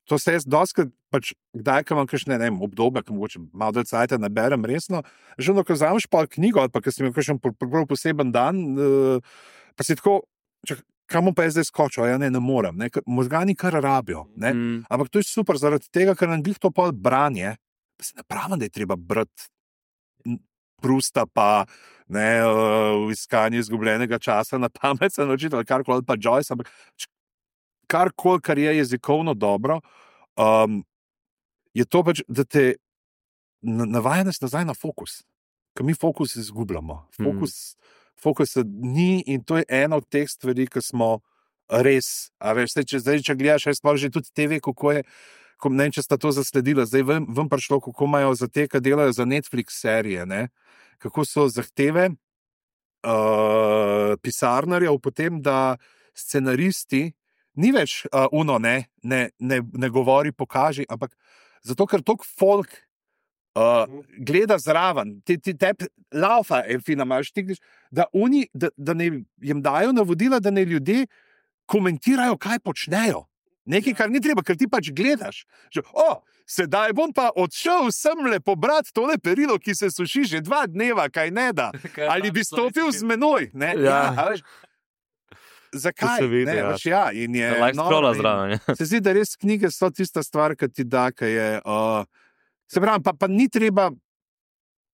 A: to se jaz doskrat, pač, kdaj, ko imam kakšne obdobje, ko mogoče malo dalj cajta naberem resno, že ko vzameš pa knjigo, ali pa ko si imel kakšen poseben dan, pa si tako, kam bom pa jaz zdaj skočil? Ja, ne morem. Ne? Možgani kar rabijo. Ne? Ampak to je super, zaradi tega, ker nam glih to pol branje, pa se ne pravim, da je treba brati Prusta pa v iskanju izgubljenega časa na pamet se naučiti, ali karkoli, pa Joyce, ampak karkoli, kar je jezikovno dobro, je to pač, da te navaja nas nazaj na fokus. Ker mi fokus izgubljamo. Fokusa ni in to je ena od teh stvari, ki smo res, a veš, če gledaš, jaz pa že tudi TV, kako je, ne vem, če sta to zasledila, zdaj vem prišlo, kako imajo za te, ki delajo za Netflix serije, ne, kako so zahteve pisarnarjev potem, da scenaristi ni več ne govori, pokaži, ampak zato, ker toliko folk gleda zraven, tebi laufa, fina, imaš ti, da ne jim dajo navodila, da ne ljudje komentirajo, kaj počnejo. Nekaj, kar ni treba, ker ti pač gledaš. Že, sedaj bom pa odšel semle pobrati tole perilo, ki se suši že 2 dneva, kaj ne da. Ali bi stopil z menoj? Ne? Ja, zakaj?
D: Se vidi,
A: in je
B: zraven.
A: Se zdi, da res knjige so tista stvar, ki ti da, ki je... Se pravi, pa ni treba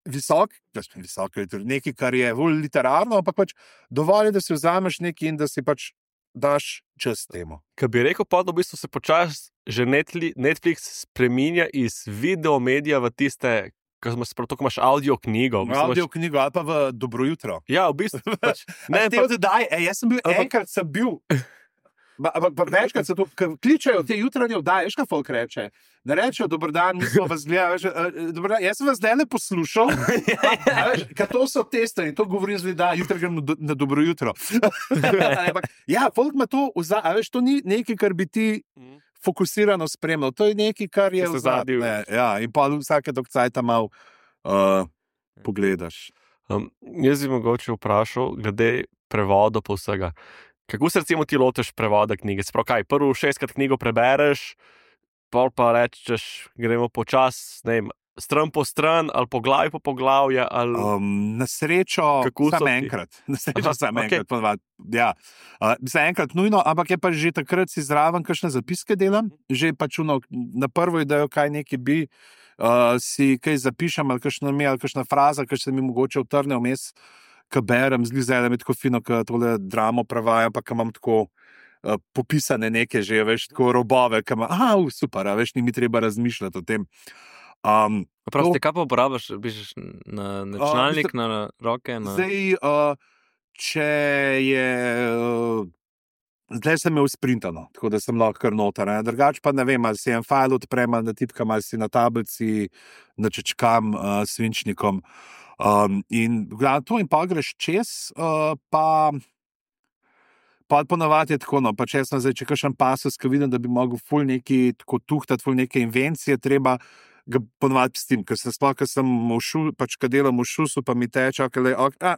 A: visok, nekaj, kar je bolj literarno, ampak pač dovolj je, da si vzameš nekaj in da si pač daš čas temu.
D: Kaj bi rekel, pa v bistvu se počasi že Netflix spreminja iz videomedija v tiste, ko imaš audio knjigo.
A: Audio knjigo ali pa v Dobro jutro.
D: Ja, v bistvu. Pač,
A: jaz sem bil, enkrat sem bil, pa večkrat se to, kličajo te jutranje vdaje, veš, kaj folk reče? Ne rečejo, dober dan, mi smo vas gledali, jaz sem vas zdaj ne poslušal, ker to so testani, to govorim zdaj, da jutri grem na Dobro jutro. Ja, folk ima to, veš, to ni nekaj, kar bi ti fokusirano spremljal, to je nekaj, kar je
D: zadnji.
A: Ja, in pa vsake dok cajta malo pogledaš.
D: Jaz bi mogoče vprašal, glede prevoda po vsega. Kako se recimo ti lotiš prevoda knjige? Sprav kaj, prvo 6-krat knjigo prebereš, pol pa rečeš, gremo počas, ne vem, stran po stran, ali poglavje po poglavje, ali...
A: Na srečo samo enkrat. Na srečo samo enkrat. Ja. Za enkrat nujno, ampak je pa že takrat si zraven kakšne zapiske delam, že pač na prvo idejo, kaj nekaj bi, si kaj zapišem ali kakšna fraza, ki se mi mogoče utrne vmes, ki berem, zdi se, da mi tako fino, ki tole dramo prevajam, pa ki imam tako popisane neke že, veš, tako robove, ki imam, super, veš, ni mi treba razmišljati o tem.
B: Prosti, kaj pa uporabljaš? Pišeš na računalnik, na roke?
A: Zdaj, če je... Zdaj sem imel sprintano, tako da sem lahko kar noter. Drugače pa ne vem, ali si en fajl odprem, ali natipkam, ali si na tablici načečkam svinčnikom. In to in pa greš čez, pa ponavadi je tako, no, pa če sem zdaj, če kakšen pasus, ki vidim, da bi mogel ful neki tako tuhtati, ful neke invencije, treba ga ponavadi s tem, ker sem v šul, pač kad delam v šusu, pa mi teče,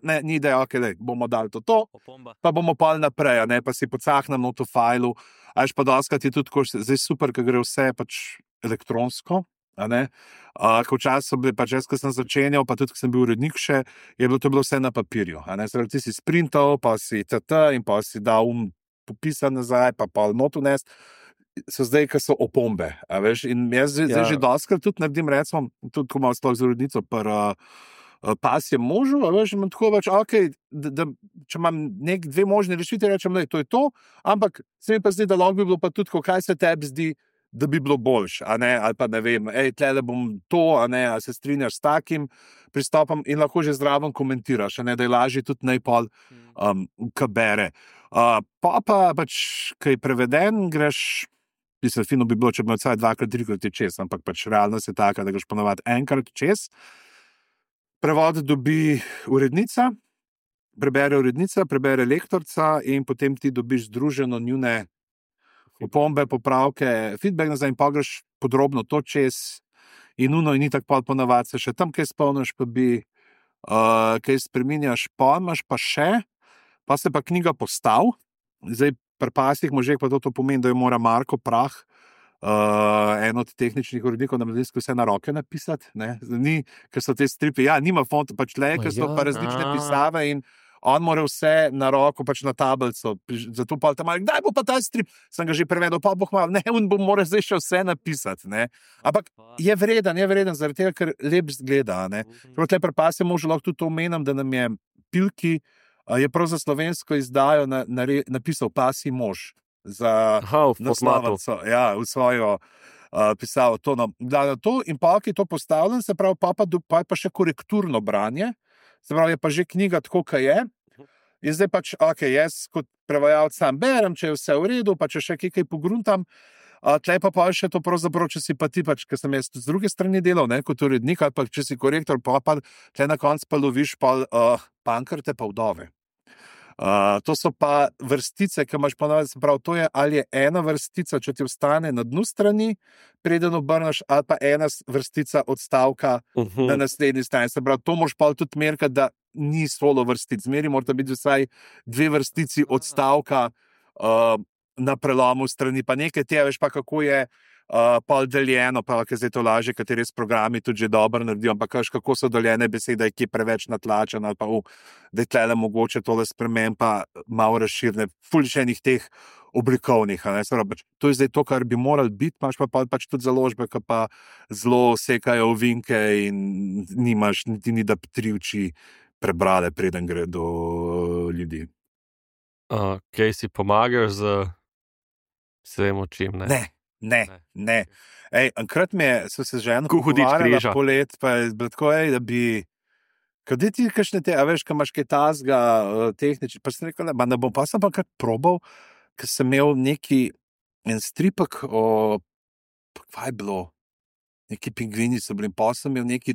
A: ne, ni ideja, bomo dali to, pa bomo pol naprej, ne, pa si pocahnem na to fajlu, a pa doskrat je tudi tako, zdaj super, ker gre vse pač elektronsko, a ne, ko včasih so bili, pač jaz, ko sem začenjal, pa tudi, ko sem bil urednik še, je bilo vse na papirju, a ne, zdaj ti si sprintal, pa si in pa si dal popisan nazaj, pa notu nest, so zdaj, ko so opombe, a veš, in jaz zdaj že doskrat tudi naredim, recimo, tudi ko imam sploh z urednico, pas je možu, a veš, imam tako več, da če imam dve možne rešitve, rečem, da to je to, ampak se mi pa zdi, da lahko bi bilo pa tudi, kaj se tebi zdi, da bi bilo boljše, a ne, ali pa ne vem, tlele bom to, a ne, a se strinjaš s takim pristopom in lahko že zraven komentiraš, a ne, da je lažje tudi najpol, ko bere. Pa pač, kaj je preveden, greš, mislim, fino bi bilo, če bi imel vsaj 2-3 čez, ampak pač realnost je taka, da greš ponovadi enkrat čez. Prevod dobi urednica, prebere lektorca in potem ti dobiš združeno njune opombe, popravke, feedback nazaj in pa greš podrobno to čez in ni tako ponovadi se še tam kaj spomniš, pa bi kaj spreminjaš, pa imaš pa še, pa se pa knjiga postav, zdaj pri pasih možeh pa to pomeni, da jo mora Marko Prah, en od tehničnih urednikov na Mladinsku, vse na roke napisati, ne, ni, ker so te stripi, nima fonta, pač le, ker so pa različne pisave in on mora vse na roko, pač na tablico, zato pa tam, kdaj bo pa ta strip, sem ga že prevedel, pa boh malo, ne, on bo mora zdaj še vse napisati, ne, ampak je vreden, zaradi tega, ker lep zgleda, ne, prav tle pri pas je možno lahko tudi to omenim, da nam je Pilki, je prav za slovensko izdajo napisal Pasji mož za naslovnico, v svojo pisavo to, to in pa je to postavljen, se pravi, pa je pa še korekturno branje, se pravi, je pa že knjiga tako, kaj je. In zdaj pač, jaz kot prevajalec sam berem, če je vse v redu, pa če še kaj pogruntam, tle pa še to pravzaprav, če si pa ti pač, ker sem jaz z druge strani delal, ne, kot urednik, ali pa če si korektor, pa tle na koncu pa loviš pankrte pa vdove. To so pa vrstice, ki imaš ponovadi, se pravi, to je ali je ena vrstica, če ti ostane na dnu strani, preden obrneš, ali pa ena vrstica odstavka na naslednji strani. Se pravi, to moraš pa tudi merkati, da ni solo vrstic. Zmeri mora biti vsaj 2 vrstici odstavka na prelomu strani, pa nekaj tega, veš pa kako je pol deljeno, pa ker zdaj to laže, kateri s programi tudi že dobro naredijo, ampak kako so deljene besede, ki je preveč natlačen, ali pa da je tlele mogoče tole spremen, pa malo razširne, fulšenih teh oblikovnih. To je zdaj to, kar bi morali biti, imaš pa pač tudi založbe, ki pa zelo sekajo ovinke in nimaš niti ni, da 3 oči prebrale, preden gre do ljudi.
D: Kaj si pomagaš z vsem očim, ne?
A: Ne. Enkrat so se že eno pogovarjala polet, pa je bilo tako, da bi, kaj ti kakšne te, a veš, kaj imaš kaj tazga tehnični, pa sem rekel, ne bom, pa sem pa kar probal, ker sem imel en stripek kaj je bilo, neki pingvini so bili, pa sem imel ki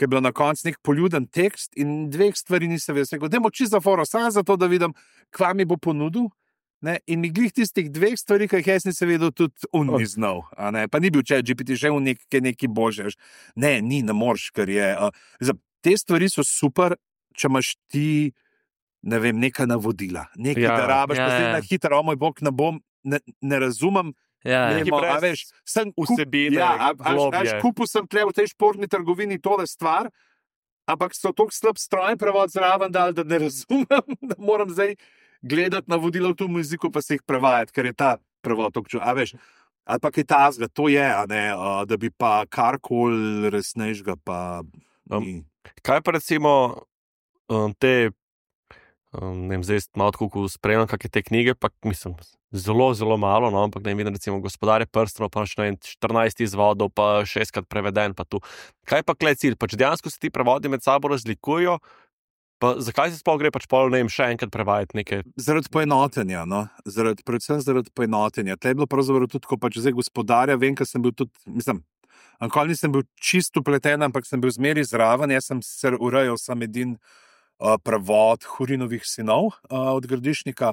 A: je bilo na koncu nek poljuden tekst in 2 stvari nisem vedel. Rekel, dajmo čisto za foro, samo zato, da vidim, kva mi bo ponudil. Ne? In mi glih tistih 2 stvari, ki jih jaz nisem vedel, tudi ni znal. Pa ni bil ChatGPT, že nekaj boljše. Ne moreš, ker je. Te stvari so super, če imaš ti, ne vem, neka navodila. Nekaj, da rabiš, pa zdaj na hitro, moj bog, ne razumem.
D: Sem vsebine,
A: kupil sem tle v tej športni trgovini tole stvar, ampak so toliko slab stroj prevod zraven dal, da ne razumem, da moram zdaj gledati navodila v tem jeziku, pa se jih prevajati, ker je ta prevod toliko čutil. Ali pa kaj tazga, to je, a ne, da bi pa karkoli resnejšega pa ni.
D: Kaj pa recimo te, ne vem, zdaj malo tako spremljam, kakšne te knjige, pa mislim, zelo, zelo malo, no, ampak ne vem, recimo Gospodarje prstanov, pa še 14 izvodov, pa 6-krat preveden, pa tu. Kaj pa klej cilj? Pač dejansko se ti prevodi med sabo razlikujejo, pa zakaj se sploh gre pač pol, ne vem, še enkrat prevajati nekaj?
A: Zaradi poenotenja, no, predvsem zaradi poenotenja. Tle je bilo pravzaprav tudi, ko pač zdaj Gospodarja, vem, ker sem bil tudi, mislim, nikoli nisem bil čisto upleten, ampak sem bil zmeri zraven, jaz sem se urejal sam edin prevod Hurinovih sinov od Gradišnika.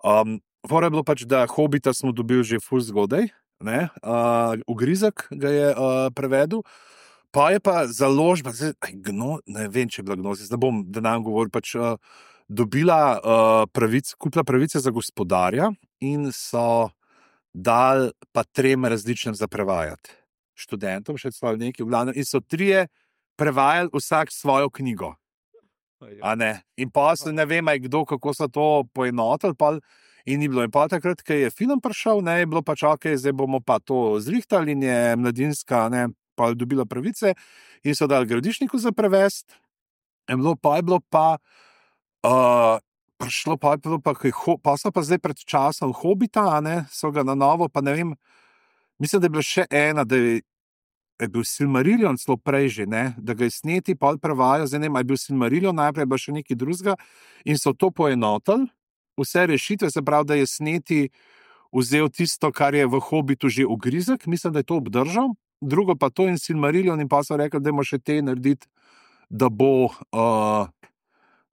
A: Fora je bilo pač, da Hobita smo dobili že ful zgodaj, ne, Ugrizek ga je prevedel. Pa je pa založba, ne vem, če je bila Gnosis, ne bom, da nam govoril, pač dobila kupila pravice za Gospodarja in so dali pa 3 različnim za prevajati. Študentom, še celo nekaj, v glavnem, in so 3 prevajali vsak svojo knjigo. A ne? In pa se ne vem, kdo, kako so to poenotili, in ni bilo. In pa takrat, ko je film prišel, ne, je bilo pač ok, zdaj bomo pa to zrihtali in je Mladinska, ne, pa je dobila pravice in so dali Gradišniku za prevest. In bilo pa prišlo, pa so pa zdaj pred časom Hobita, ne, so ga na novo, pa ne vem, mislim, da je bila še ena, da je bil Silmarillion celo prej že, ne, da ga je sneti, pa prevajajo, zdaj ne vem, je bil Silmarillion, najprej je bil še nekaj drugega in so to poenotili, vse rešitve, se pravi, da je sneti vzel tisto, kar je v Hobitu že Ugrizek, mislim, da je to obdržal, drugo pa to in Silmarillion in pa so rekli, da bomo še te narediti, da bo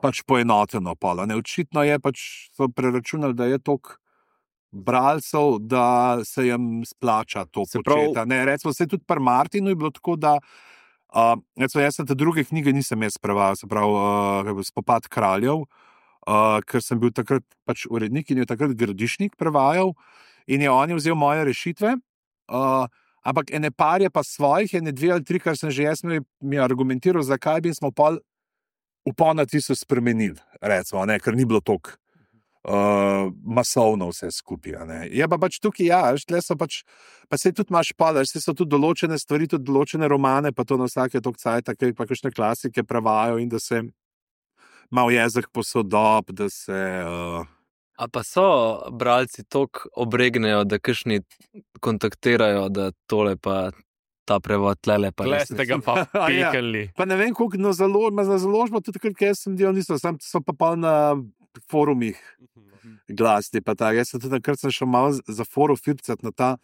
A: pač poenoteno polo. Očitno je pač, so preračunali, da je toliko bralcev, da se jim splača to početi. Recimo, se tudi pri Martinu je bilo tako, da recimo, jaz sem te druge knjige nisem jaz prevajal, se pravi Spopad kraljev, ker sem bil takrat pač urednik in je takrat Gradišnik prevajal in je on vzel moje rešitve, ampak ene par je pa svojih, ene 2 ali 3, kar sem že jaz mi argumentiral, zakaj bi smo pol v ponatisu spremenili, recimo, ne, ker ni bilo toliko masovno vse skupaj. Ne. Je pa pač tukaj, ja, tle so pač, pa se tudi imaš se so tudi določene stvari, tudi določene romane, pa to na vsake toliko cajta, kaj pa kakšne klasike prevajajo in da se malo jezik posodob, da se...
B: A pa so bralci toliko obregnejo, da kakšni kontaktirajo, da tole pa ta prevod tlele pa
D: res. Tle ste ga pa pekali.
A: Pa ne vem, koliko na založbo, tudi takrat, kaj jaz sem delal, niso, sam so pa na forumih glasni, pa tako. Jaz sem tudi takrat šel malo za forum fircat na ta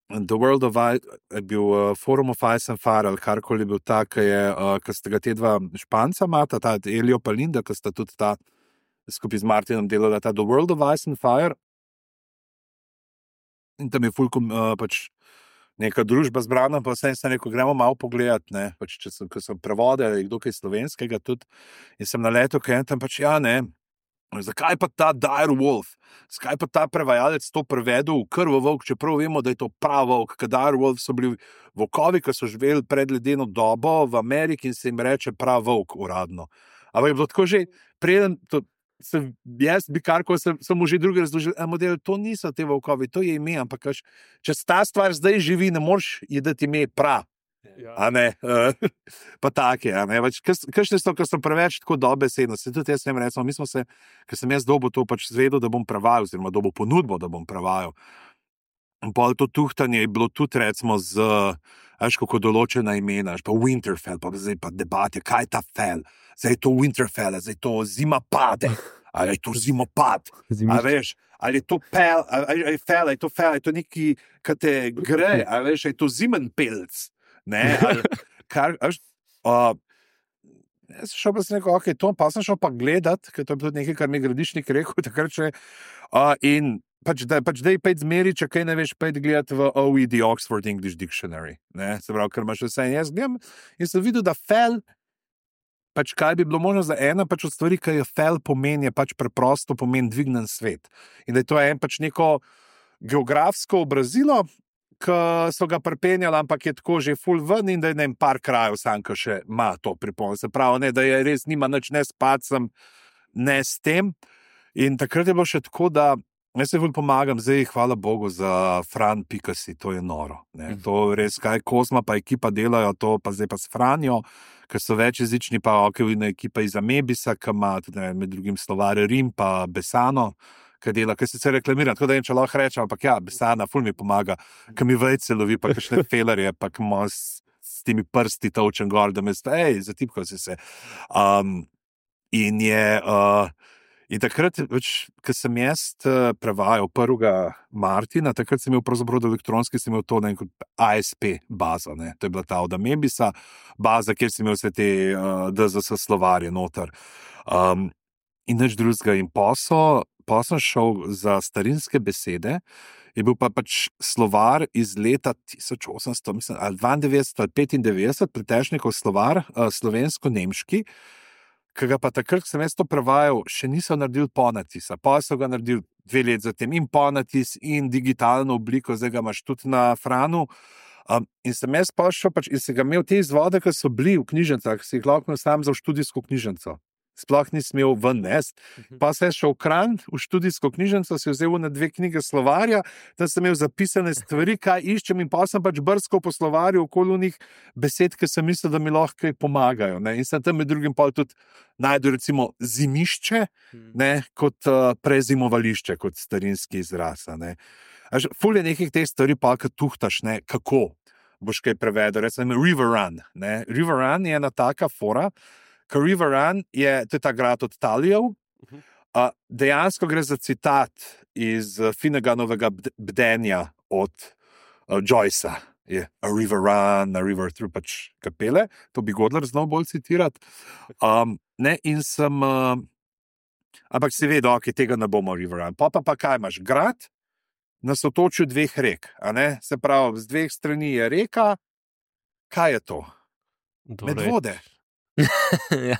A: The World of Ice, je bil Forum of Ice and Fire, ali karkoli je bil ta, ki sta ga te 2 Španca imata, ta Elio pa Linda, ki sta tudi ta skupaj z Martinom delala ta The World of Ice and Fire. In tam je fulkom pač neka družba zbrana, pa vse sem rekel, gremo malo pogledati, ne, pač ko sem prevodil, kdo kaj slovenskega tudi, in sem naletel, kaj tam pač, ja, ne, zakaj pa ta Dire Wolf, zakaj pa ta prevajalec to prevedel v Krvovolk, čeprav vemo, da je to prav volk, ker Dire Wolf so bili volkovi, ki so živeli pred ledeno dobo v Ameriki in se jim reče prav volk uradno. Ampak je bilo tako že, preden to, jaz bi karkoli sem mu že drugi razložil, model, to niso te volkovi, to je ime, ampak če ta stvar zdaj živi, ne moreš je dati ime prav. Ja. A ne, pa take, a ne, kakšne so, ker so preveč tako dobesedno, se tudi jaz sem recimo, mi smo se, ker sem jaz dobil to pač zvedel, da bom prevajal, oziroma dobil ponudbo, da bom prevajal. In pol to tuhtanje je bilo tudi recimo z, kako določena imena, pa Winterfell, pa zdaj pa debate, kaj je ta fel, zdaj je to Winterfell, zdaj je to zima pade, ali je to zimopad, a veš, ali je to pel, ali je fel, ali je to fel, ali je to neki, kaj te gre, a veš, ali je to zimenpelc. Ne, jaz sem šel pa sem rekel, ok, to pa sem šel pa gledat, ker to je tudi nekaj, kar mi je Gradišnik rekel, takrat še, in pač daj pejt zmeri, če kaj ne veš, pejt gledati v OED, Oxford English Dictionary, ne, se pravi, ker imaš vse in jaz gledam in sem videl, da fel, pač kaj bi bilo možno za ena, pač od stvari, kaj je fel pomeni, je pač preprosto pomeni dvignen svet. In da je to pač neko geografsko obrazilo, ki so ga pripenjali, ampak je tako že ful ven in da je par krajev sam, ki še ima to pripombo. Se pravi, ne, da je res nima nič ne s pacem, ne s tem. In takrat je bilo še tako, da Jaz se bolj pomagam, zdaj hvala Bogu za Fran Pikasi, to je noro. Ne. To res, kaj Kozma pa ekipa delajo, to pa zdaj pa s Franjo, ker so večjezični, pa okejna ekipa iz Amebisa, ki ima tudi med drugim slovar Rim, pa Besano, ki dela, ki se sicer reklamira, tako da če lahko rečem, ampak ja, Besana, ful mi pomaga, ki mi vejce lovi, pa kakšne felerje, pa ki ima s temi prsti točen gor, da me zatipkal si se. In takrat, ko sem jaz prevajal 1. Martina, takrat sem imel pravzaprav elektronski, sem imel to kot ASP baza, ne. To je bila ta od Amebisa baza, kjer sem imel vse te DZS slovarje noter. In nič drugega. In posel sem šel za starinske besede, je bil pa pač slovar iz leta 1800, mislim, ali 92 ali 95, Pletežnikov slovar, slovensko-nemški, ki ga pa takrat, ko sem jaz to prevajal, še niso naredili ponatisa. Pa so ga naredili 2 leti zatem in ponatis in digitalno obliko, zdaj ga imaš tudi na Franu. In sem jaz pošel in sem ga imel te izvode, ki so bili v knjižnicah, si jih lahko sam za študijsko knjižnico. Sploh nisem imel ven nest. Pa sem šel v Kranj, v študijsko knjižnico, si vzel na 2 knjige slovarja, da sem imel zapisane stvari, kaj iščem, in pa sem pač brskal po slovarju okoli onih besed, ki sem mislil, da mi lahko kaj pomagajo. Ne? In sem tam med drugim pa tudi najdel recimo zimišče, ne? Kot prezimovališče, kot starinski izraz. Ne? Ful je nekih teh stvari, pa ki tuhtaš, ne? Kako boš kaj prevedel. Recimo River Run. Ne? River Run je ena taka fora, ker River Run to je ta grad od Talijev. Dejansko gre za citat iz Finneganovega bdenja od Joycea. Je a river run, a river through, pač kapele. To bi Godler znal bolj citirati. In sem... ampak si vedel, ok, tega ne bomo River Run. Pa kaj imaš? Grad na sotočju 2 rek. A ne? Se pravi, z 2 strani je reka. Kaj je to? Medvode.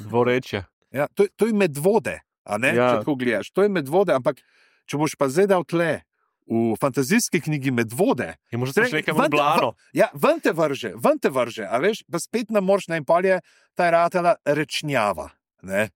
D: Dvorečje.
A: Ja, to je Medvode, a ne, če tako gledaš. To je Medvode, ampak če boš pa zdaj dal tle v fantazijski knjigi Medvode,
D: je možno še nekaj Blano.
A: Ja, ven te vrže, a veš, pa spet ne moreš, in pol je ta ratela rečnjava, ne.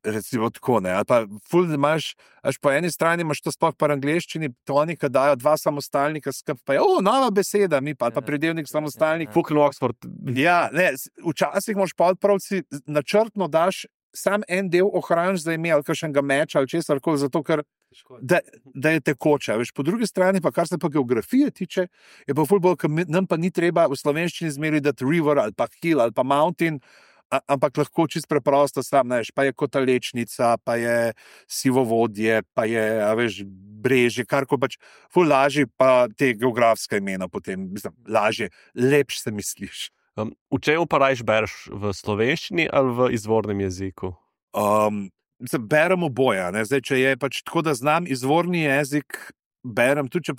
A: Recimo tako, ne, ali pa ful imaš, až po eni strani imaš to sploh po angleščini, to oni, ki dajo 2 samostalnika skupaj, pa je, nova beseda, mi pa predelnik samostalnik.
D: Fucking Oxford.
A: Ja, ne, včasih moš podpravci načrtno daš sam en del ohraniš za ime, ali kakšnega meča, ali česar koli, zato ker da je tekoče. Veš, po drugi strani pa, kar se pa geografije tiče, je pa ful bolj, nam pa ni treba v slovenščini zmeri dati river, ali pa hill, ali pa mountain, ampak lahko čist preprosto sam, ne veš, pa je Kotalečnica, pa je Sivovodje, pa je, veš, Brežje, karko pač, ful lažje pa te geografske imena potem, mislim, lažje, lepš se misliš.
D: V čemu pa rajš bereš, v slovenščini ali v izvornem jeziku?
A: Berem oboje, ne, zdaj, če je pač tako, da znam izvorni jezik, berem, tudi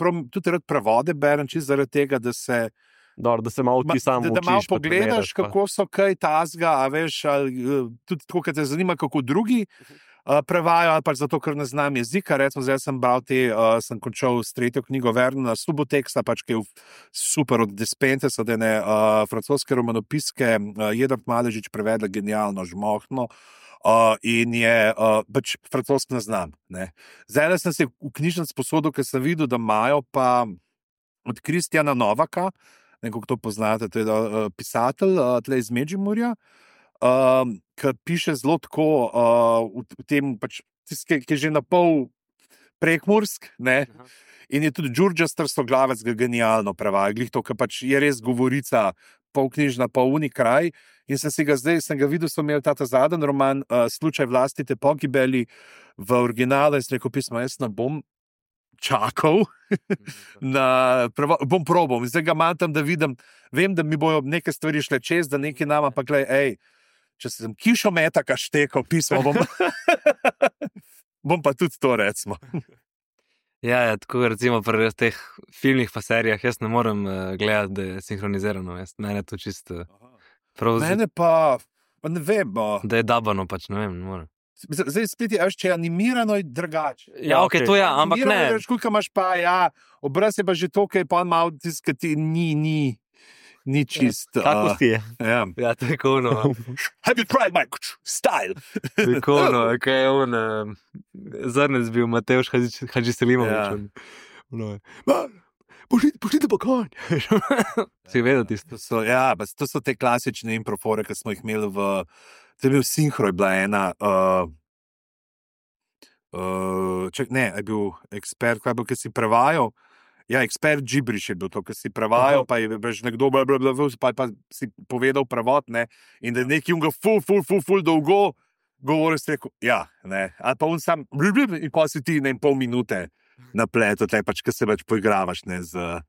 A: rad prevode berem, čist zaradi tega, da se
D: malo ti sam učiš.
A: Da malo pogledaš, kako so kaj tazga, a veš, ali tudi tako, kad te zanima, kako drugi prevajajo, ali pač zato, ker ne znam jezika. Recimo, zdaj sem bral sem končal s 3. knjigo Vernona Suboteksa, pač, ki je super od Despentesa, da je francoske romanopiske Jedrt Maležič prevedla genialno, žmohtno. In je pač francosko ne znam. Ne. Zdaj sem se v knjižnici posodil, ker sem videl, da imajo pa od Kristjana Novaka, nekako to poznate, to je pisatelj tle iz Medžimurja, ki piše zelo tako v tem, pač, ki je že na pol prekmursk, ne? In je tudi Đurđa Strstoglavec ga genialno prevajal, glih to, ker pač je res govorica pol knjižna, pol uni kraj, in sem ga videl, so imeli ta zadnji roman Slučaj vlastite pogibeli v originalu, in sem rekel pismo, jaz ne bom čakal, bom probal, in zdaj ga imam tam, da vidim, vem, da mi bojo neke stvari šle čez, da nekaj nama, pa glej, če sem kišometa kaštekal pismo, bom pa tudi to, recimo.
B: Ja, tako recimo pri teh filmih pa serijah, jaz ne morem gledati, da je sinhronizirano, mene to čisto...
A: Mene pa ne vem.
B: Da je dabano, pač ne vem, ne morem.
A: Zdaj spet je, če je animirano, je drugače.
B: Ja, ok, to ja, ampak ne.
A: Koliko imaš pa, ja, obraz je pa že to, kaj je pa malo tiskati, ni. ni čist.
D: Kako ti je?
A: Ja.
B: Ja, tako no.
A: Have you tried my style?
B: Tako no, kaj je on, zrnec bil Mateusz Hadži Selimović.
A: Ja.
B: Pošljite pa konj. Si vedel tisto?
A: To so te klasične improfore, ki smo jih imeli to je bil Sinhro, je bila ena, je bil ekspert, kaj je bil, ki si prevajal. Ja, ekspert Džibriš je bil to, ki si prevajal, pa je nekdo pa si povedal prevod, ne, in da je neki unga ful dolgo govoril, si rekel, ja, ne, ali pa on sam, in pa si ti, ne, pol minute napleto, pač, ki se več poigravaš, ne, z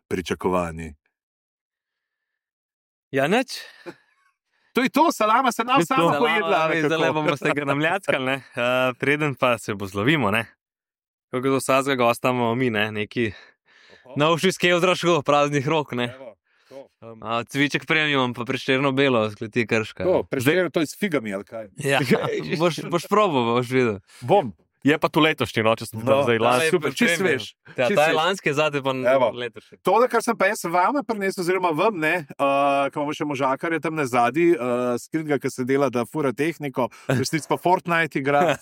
A: pričakovanji.
B: Ja, neč.
A: To je to, salama se nam sama pojedla.
B: Zdaj bomo se ga namljackali, ne. Preden pa se bo zlovimo, ne. Kako do vsakega gosta imamo mi, ne, neki novši skev zraško, praznih rok, ne. Cviček premium, pa Prešerno belo, skleti Krška.
A: Prešerno, to je s figami, ali kaj?
B: Ja, boš probal, boš videl.
A: Bom.
D: Je pa to letošnji, če sem tam zdaj lanski.
A: Super, čist veš.
B: Ja, ta je lanski, zate pa letošnji.
A: To, kar sem pa jaz vama prinesel, oziroma vam, ne, ko imamo še možakarje tam nazadi, skritga, ki se dela, da fura tehniko, resnic pa Fortnite igra.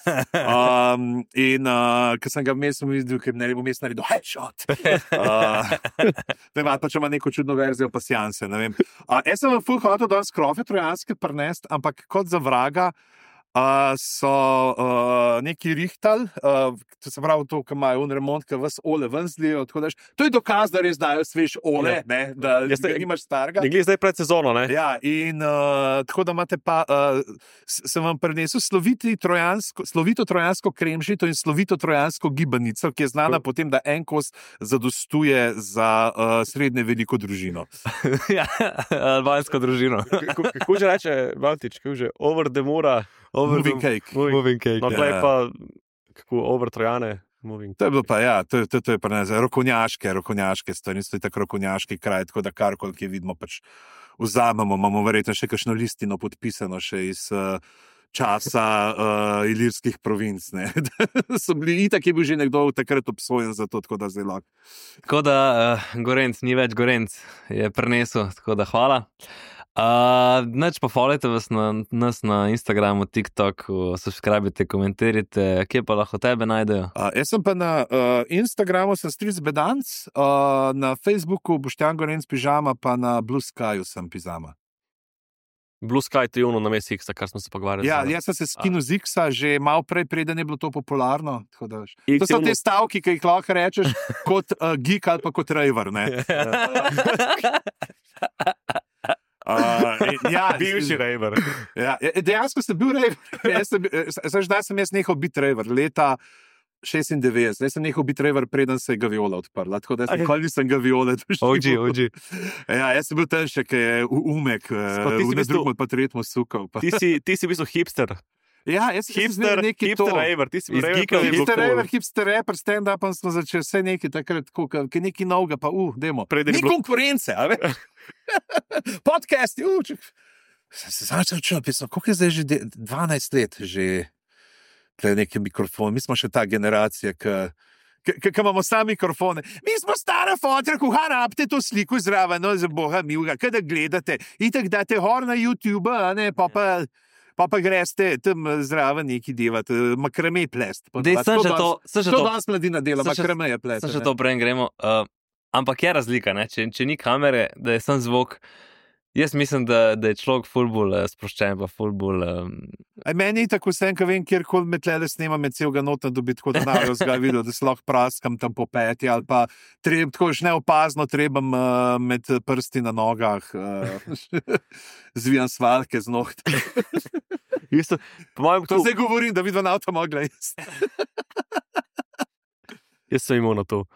A: In ko sem ga vmes videl, ker ne bom vmes naredil headshot. Ne vem, pa če ima neko čudno verzijo pasjanse, ne vem. Jaz sem vam ful hotel danes krofe trojanske prinesti, ampak kot za vraga, so neki rihtali, to se pravi to, ki imajo remont, ki vas ole ven zlijo, to je dokaz, da res dajo svež ole, ne, da nimaš starega.
D: Ne glede zdaj pred sezono, ne?
A: Ja, in tako da imate pa, sem vam prinesel slovito trojansko kremžito in slovito trojansko gibanico, ki je znana potem, da en kos zadostuje za srednje veliko družino.
B: Ja, albansko družino.
D: Kako že reče Valtič, kako že, over the mora...
A: Moving cake.
B: Moving cake.
D: No, tlej pa, kako over Trojane, moving cake.
A: To je bilo pa, ja, to je pa ne, rokonjaške stvari, to je tako rokonjaški kraj, tako da karkoli, ki vidimo, pač vzamemo, imamo verjetno še kakšno listino podpisano še iz časa ilirskih provinc, ne. So bili, itak je bil že nekdo takrat obsojen za to, tako da zdaj lahko.
B: Tako da Gorenc, ni več Gorenc, je prinesel, tako da hvala. Neč pa followajte nas na Instagramu, TikToku, subscribite, komentirajte, kje pa lahko tebe najdejo?
A: Jaz sem pa na Instagramu sem Stric Bedanc, na Facebooku Boštjan Gorenc Pižama, pa na Blue Skyju sem Pizama.
D: Blue Sky to je ono na mes X-a, kar smo se pogovarjali.
A: Ja, jaz sem se skinil z X-a že malo prej, preden je bilo to popularno. To so te stavki, ki jih lahko rečeš kot geek ali pa kot raver, ne?
D: Bivši raver.
A: Ja, dejansko sem bil raver. Zdaj sem jaz nehal biti raver. Leta 96. Zdaj sem nehal biti raver, preden se je Gaviola odprla. Tako da nikoli nisem Gaviole doživel.
B: OG.
A: Ja, jaz sem bil ten še, ki je umek, v drugem pa tretjem sukal.
D: Ti si v bistvu hipster.
A: Ja, jaz sem neki
D: hipster raver, ti si bil raver.
A: Hipster raver, hipster rapper, stand-up smo začeli vse neki takrat, ki neki novega, pa demo. Ni konkurence, a veš? Podcasti, se začel čuti, koliko je zdaj že 12 let že neki mikrofon, mi smo še ta generacija, ki imamo sami mikrofone. Mi smo stara fotra, kuha rabite to sliko zraven, no za boga milega, kada gledate, itak date hor na YouTube, a ne, pa greste tam zraven neki delati, makrame plest.
B: To
A: danes mladina dela, makrame je plest.
B: Še to prej gremo. Ampak je razlika, ne? Če ni kamere, da je sam zvok. Jaz mislim, da je človek ful bolj sproščen, pa ful bolj...
A: Meni je tako vsem, ko vem, kjerkoli me tlele snema, me celega nota dobi, tako da najo zga videl, da se lahko praskam tam po peti, ali pa tako že neopazno trebam med prsti na nogah, zvijam svalke z nohte. To zdaj govorim, da vidva na avto mogla jesti.
D: Jaz sem imel na to.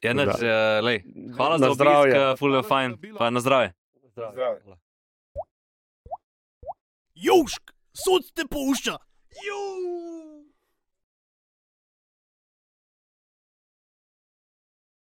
B: Ja, hvala za obisk, ful je fajn, pa na zdravje.
C: Južk, sod te pušča.